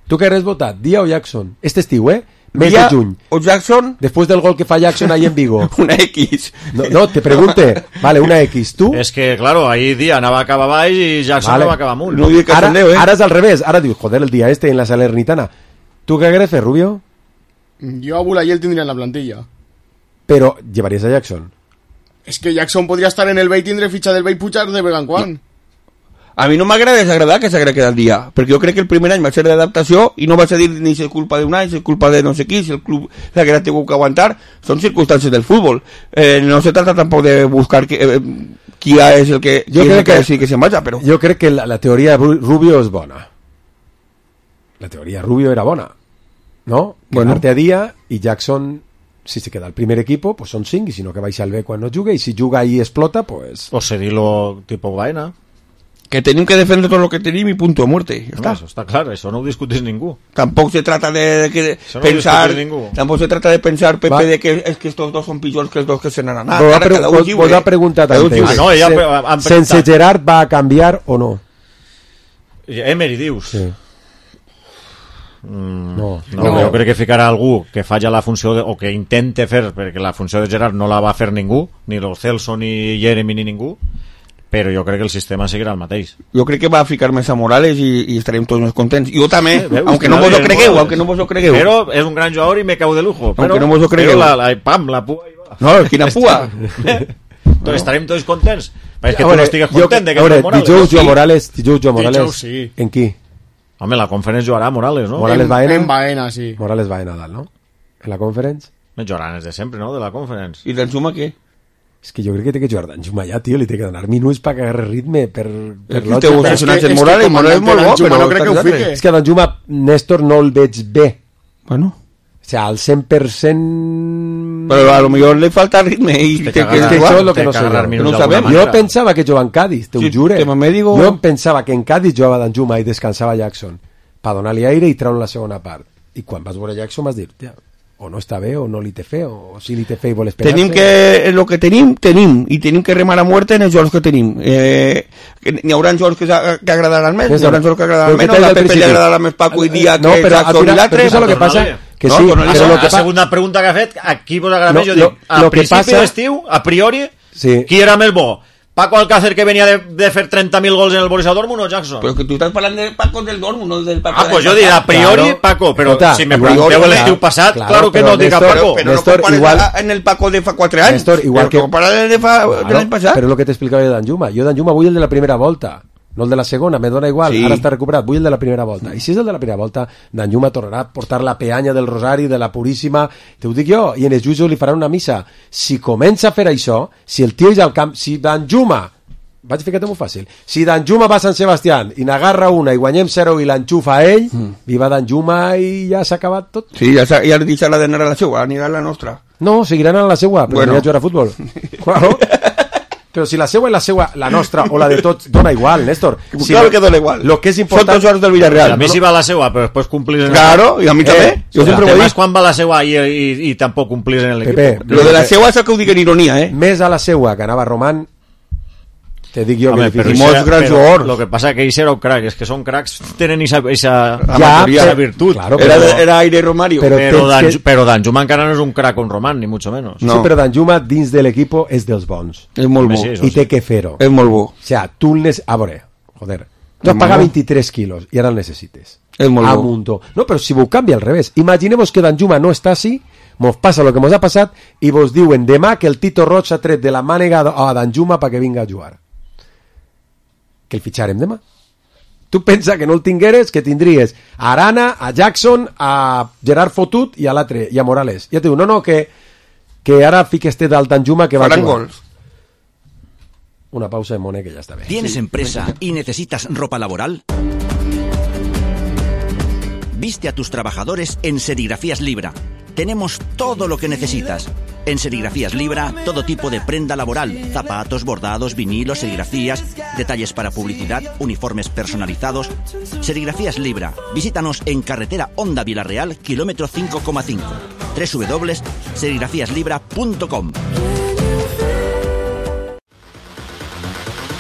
Tu que hagueres votat, Dia o Jackson? Este estiu, mes de juny. O Jackson. Después del gol que fa Jackson ahí en Vigo. Una X. No, te pregunte. Vale, una X. ¿Tú? Es que, claro, ahí Díaz anava a acabar baix i Jackson anava a acabar amunt. No dic que ara és al revés. Ara dius, joder, el día este en la Salernitana. ¿Tú qué hagueres, Rubio? Yo a Bulayel tendría en la plantilla. Pero, ¿llevarías a Jackson? Es que Jackson podría estar en el Bay, tindre ficha del Bay Puchar de Vegan Juan. A mi no m'agrada desagradar que s'haguera quedat dia, perquè jo crec que el primer any va ser d'adaptació i no va ser dir ni si és culpa d'un any, si és culpa de no sé qui, si el club s'haguera tingut que aguantar, són circumstàncies del futbol. No se trata tampoc de buscar qui és el que jo crec que sí que se'n vaja, però... Jo crec que la teoria de Rubio és bona. La teoria Rubio era bona, ¿no? Quedarte a dia i Jackson, si se queda al primer equipo, pues son 5, y si no que baixa al B quan no juga, i si juga i explota, pues... O cedir-lo tipo Baena. Que tenim que defender tot lo que tenim i punto de muerte. Ja no, eso está claro, eso no ho discutís ningú. Tampoc se trata de pensar, tampoc se trata de pensar, Pepe, de que es que estos dos son pitjors que els dos que se n'han anat. Vos ha preguntat antes, sense Gerard va a canviar o no? Emery, dius? Sí. No, jo crec que ficarà algú que falla la funció o que intente fer, perquè la funció de Gerard no la va fer ningú, ni Lo Celso, ni Jeremy, ni ningú, però jo crec que el sistema seguirà el mateix. Jo crec que va ficar més a Morales i estarem tots més contents. Jo també, aunque no vos ho cregueu, Però és un gran jugador i me cau de lujo. Aunque no vos ho cregueu. Però la pua hi va. No, quina pua. Entonces estarem tots contents. És que tu no estigues content de que no Morales. Dijous Joan Morales. En qui? Home, la Conference jugarà Morales, no? Morales Baena. En Baena, sí. Morales Baena dalt, no? En la Conference. Jugaran de sempre, no? De la Conference. I d'Enzuma què? És que jo crec que té que jugar d'Anjuma ja, tio, li té que donar minuts per que agarri ritme, per lògica. És que Morales és molt bo, però no crec que ho fique. És que d'Anjuma, Néstor, no el veig bé. Bueno. O sea, al 100%... Però a lo millor li falta ritme i té que jugar. Això és lo que no sé. No sabem. Jo pensava que jugava en Cádiz, te ho jure. Jo pensava que en Cádiz jugava d'Anjuma i descansava Jackson per donar-li aire i treure la segona part. I quan vas veure Jackson vas dir, o no està bé, o no li té fe, o si li té fe i vol esperar-se. Tenim que, el que tenim, i tenim que remar a muerte en els jocs que tenim. N'hi haurà jocs que agradaran més, n'hi haurà jocs que agradaran menys, a la Pepe li agradarà més Paco i Dia que Jackson i l'altre. Però que passa que sí, la segona pregunta que ha fet, a qui vos agrada més? Jo dic, a principi d'estiu, a priori, qui era més bo? Paco Alcácer, que venía de fer 30.000 gols en el Borussia Dortmund, o Jackson? Però que tu estàs parlant de Paco del Dortmund, no del Paco pues jo diré a priori Paco, però si me pregunteu l'estiu passat, claro que no dic a Paco. Però no compares en el Paco de fa 4 anys. Néstor, igual que... compares de l'any passat. Però és el que t'explicava de Danjuma. Jo Danjuma vull el de la primera volta, no el de la segona, me dona igual, ara està recuperat, vull el de la primera volta. I si és el de la primera volta, Danjuma tornarà a portar la peanya del Rosari, de la Puríssima, te ho dic jo, i en els jutjos li faran una missa. Si comença a fer això, si el tio és al camp, si Danjuma, vaig ficar-te molt fàcil, si Danjuma va a Sant Sebastián i n'agarra una i guanyem 0 i l'enxufa a ell, viva Danjuma i ja s'ha acabat tot. Sí, ja deixarà d'anar a la seua, anirà a la nostra. No, seguiran a la seua, però anirà a jugar a futbol. Claro. Però si la seua és la seua, la nostra o la de tots, dona igual, Néstor. Si claro que dona igual. Lo que és important... Són tots jugadors del Villarreal. A mi sí va la seua, però després complís en el... Claro, i a mi també. Jo sempre ho he dit. Quan va la seua i tampoc complís en l'equip. Lo de la seua és que ho dic en ironia, Més a la seua que anava Román, te dic jo que però molts grans jugadors. Lo que passa que ells era un crack, és que són cracs, tenen esa virtut. Claro, era Aire Romario. Però Danjuma encara no és un crack con Román, ni mucho menos. No. Sí, però Danjuma dins de l'equip és dels bons. És molt bo. I té que fer-ho. És molt bo. O sea, tu a veure, joder, tu has pagat 23 quilos i ara el necessites. És molt bo. No, però si vos canvia al revés. Imaginemos que Danjuma no està així, mos passa lo que mos ha passat i vos diuen demà que el Tito Roig ha tret de la mànega a Danjuma perquè vinga a jugar. Que el fitxarem demà. Tu pensa que no el tingueres, que tindries a Arana, a Jackson, a Gerard Fotut i a l'altre, i a Morales. Ja te diu, no, que ara fiques del Danjuma que va a jugar. Una pausa de Mone que ya está bien. ¿Tienes empresa y necesitas ropa laboral? Viste a tus trabajadores en Serigrafías Libra. Tenemos todo lo que necesitas. En Serigrafías Libra, todo tipo de prenda laboral, zapatos, bordados, vinilos, serigrafías, detalles para publicidad, uniformes personalizados. Serigrafías Libra. Visítanos en carretera Honda Vilarreal, kilómetro 5,5. www.serigrafíaslibra.com.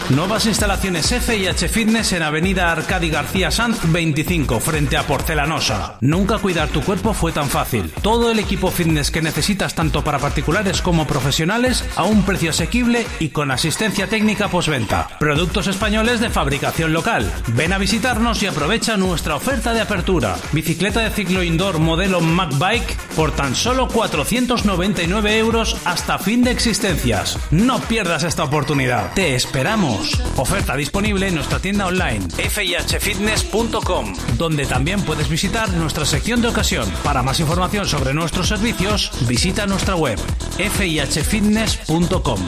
Nuevas instalaciones F&H Fitness en Avenida Arcadi García Sanz 25, frente a Porcelanosa. Nunca cuidar tu cuerpo fue tan fácil. Todo el equipo fitness que necesitas tanto para particulares como profesionales a un precio asequible y con asistencia técnica postventa. Productos españoles de fabricación local. Ven a visitarnos y aprovecha nuestra oferta de apertura. Bicicleta de ciclo indoor modelo MacBike por tan solo 499 € hasta fin de existencias. No pierdas esta oportunidad. Te esperamos. Oferta disponible en nuestra tienda online fihfitness.com, donde también puedes visitar nuestra sección de ocasión. Para más información sobre nuestros servicios, visita nuestra web fihfitness.com.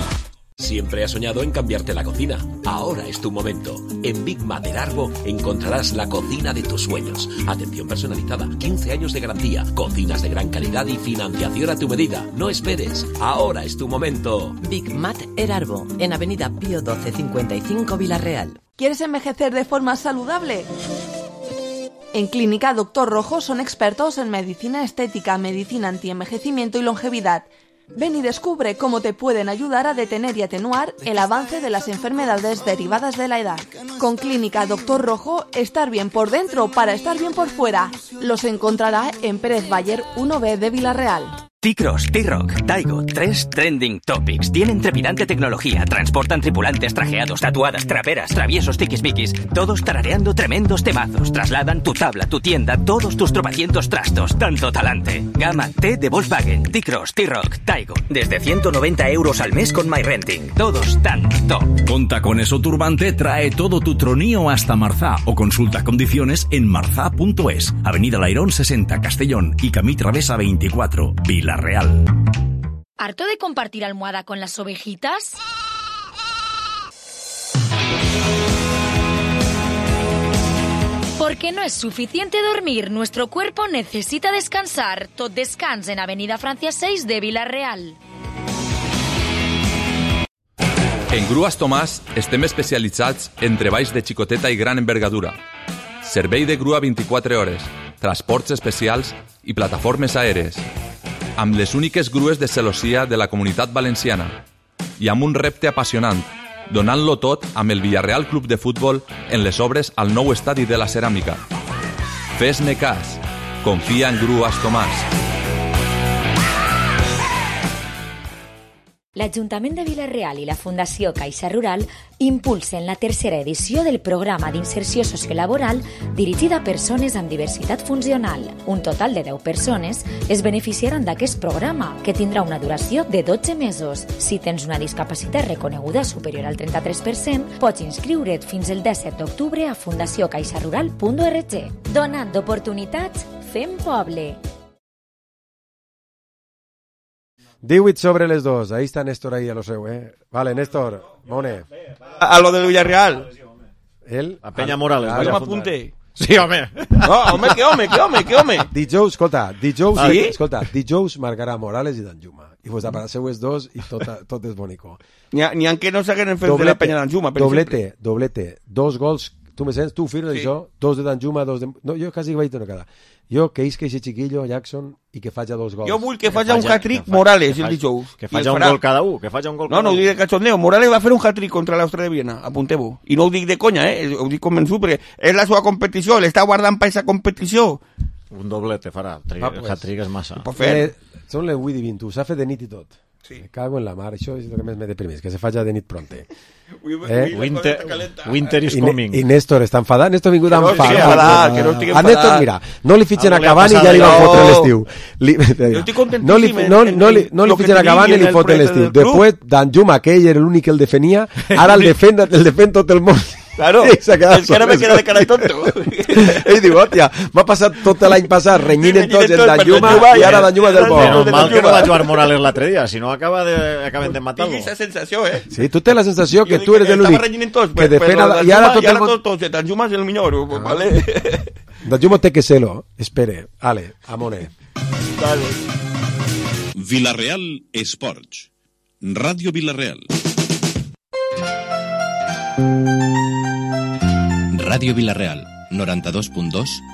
Siempre has soñado en cambiarte la cocina. Ahora es tu momento. En Big Mat del Arbo encontrarás la cocina de tus sueños. Atención personalizada, 15 años de garantía, cocinas de gran calidad y financiación a tu medida. No esperes. Ahora es tu momento. Big Mat del Arbo, en Avenida Pío 12 55 Villarreal. ¿Quieres envejecer de forma saludable? En Clínica Doctor Rojo son expertos en medicina estética, medicina antienvejecimiento y longevidad. Ven y descubre cómo te pueden ayudar a detener y atenuar el avance de las enfermedades derivadas de la edad. Con Clínica Doctor Rojo, estar bien por dentro para estar bien por fuera. Los encontrará en Pérez Bayer 1B de Villarreal. T-Cross, T-Rock, Taigo, 3 trending topics. Tienen trepidante tecnología, transportan tripulantes trajeados, tatuadas, traperas, traviesos, tiquismiquis, todos tarareando tremendos temazos. Trasladan tu tabla, tu tienda, todos tus tropecientos trastos. Tanto talante. Gama T de Volkswagen, T-Cross, T-Rock, Taigo. Desde 190 € al mes con MyRenting. Todos tan top. Con Tacones o Turbante trae todo tu tronío hasta Marzá o consulta condiciones en marzá.es. Avenida Lairón 60, Castellón y Camí Travesa 24, Villarreal. ¿Harto de compartir almohada con las ovejitas? Porque no es suficiente dormir, nuestro cuerpo necesita descansar. Tot Descans en Avenida Francia 6 de Villarreal. En Grues Tomàs estem especialitzats en treballs de xicoteta i gran envergadura. Servei de grua 24 hores, transports especials i plataformes aèries. Amb les úniques grues de celossia de la Comunitat Valenciana i amb un repte apassionant, donant-lo tot amb el Villarreal Club de Futbol en les obres al nou estadi de la Ceràmica. Fes-me cas, confia en Grues Tomàs. L'Ajuntament de Vila-real i la Fundació Caixa Rural impulsen la tercera edició del programa d'inserció sociolaboral dirigida a persones amb diversitat funcional. Un total de 10 persones es beneficiaran d'aquest programa, que tindrà una duració de 12 mesos. Si tens una discapacitat reconeguda superior al 33%, pots inscriure't fins el 17 d'octubre a fundaciocaixarural.org. Donant oportunitats, fem poble. 18 sobre les 2. Ahí está Néstor ahí a lo seu, Vale, Néstor, Mone. A lo del Villarreal. Él? A Peña Morales. Jo m'apunte. Sí, home. No, home, que home. Dijous, escolta, dijous marcarà Morales i Danjuma. I vos a seues dos i tot és bonico. N'hi ha que no s'hagueren fet de la Peña Danjuma, per exemple. Doblete. 2 gols. Tu me sents? Tu firmes això? 2 de Danjuma, 2 de... No, jo quasi vaig una cada. Jo que isca ese chiquillo, Jackson, i que faci 2 gols. Jo vull que faci un hat-trick Morales el dijous. Que faci un gol cada un. No ho dic de cachondeo. Morales va fer un hat-trick contra l'Austria de Viena. Apunteu-ho. I no ho dic de conya, ho dic convençut, perquè és la seva competició. L'està guardant per aquesta competició. Un doblete farà. El hat-trick és massa. Són les 8 i 20. S'ha fet de nit i tot. Sí. Me cago en la mar, això és el que més me deprimeix, que se faci de nit pronte. Winter is coming. I Néstor està enfadat, Néstor ha vingut enfadat. Que no estic enfadat. A Néstor, mira, no li fitxen a Cavani i ja li van fotre l'estiu. Jo estic contentíssim. No li fitxen a Cavani i li foten l'estiu. Després, Danjuma, que ell era l'únic que el defenia, ara el defèn tot el món. Claro, és que ara me queda de cara tonto. Ell diu, hòstia, m'ha passat tot l'any passat renyint tots el Danjuma i ara Danjuma del bo. Menos mal que no va jugar Morales l'altre dia, si no acaben de matar-lo. Tinc aquesta sensació, Sí, tu tens la sensació que tu eres l'únic que defèn i ara tot el Danjuma és el millor, vale? Danjuma té que ser-lo, espere. Ale, amone. Vila-real Esports. Ràdio Vila-real. Ràdio Vila-real, 92.2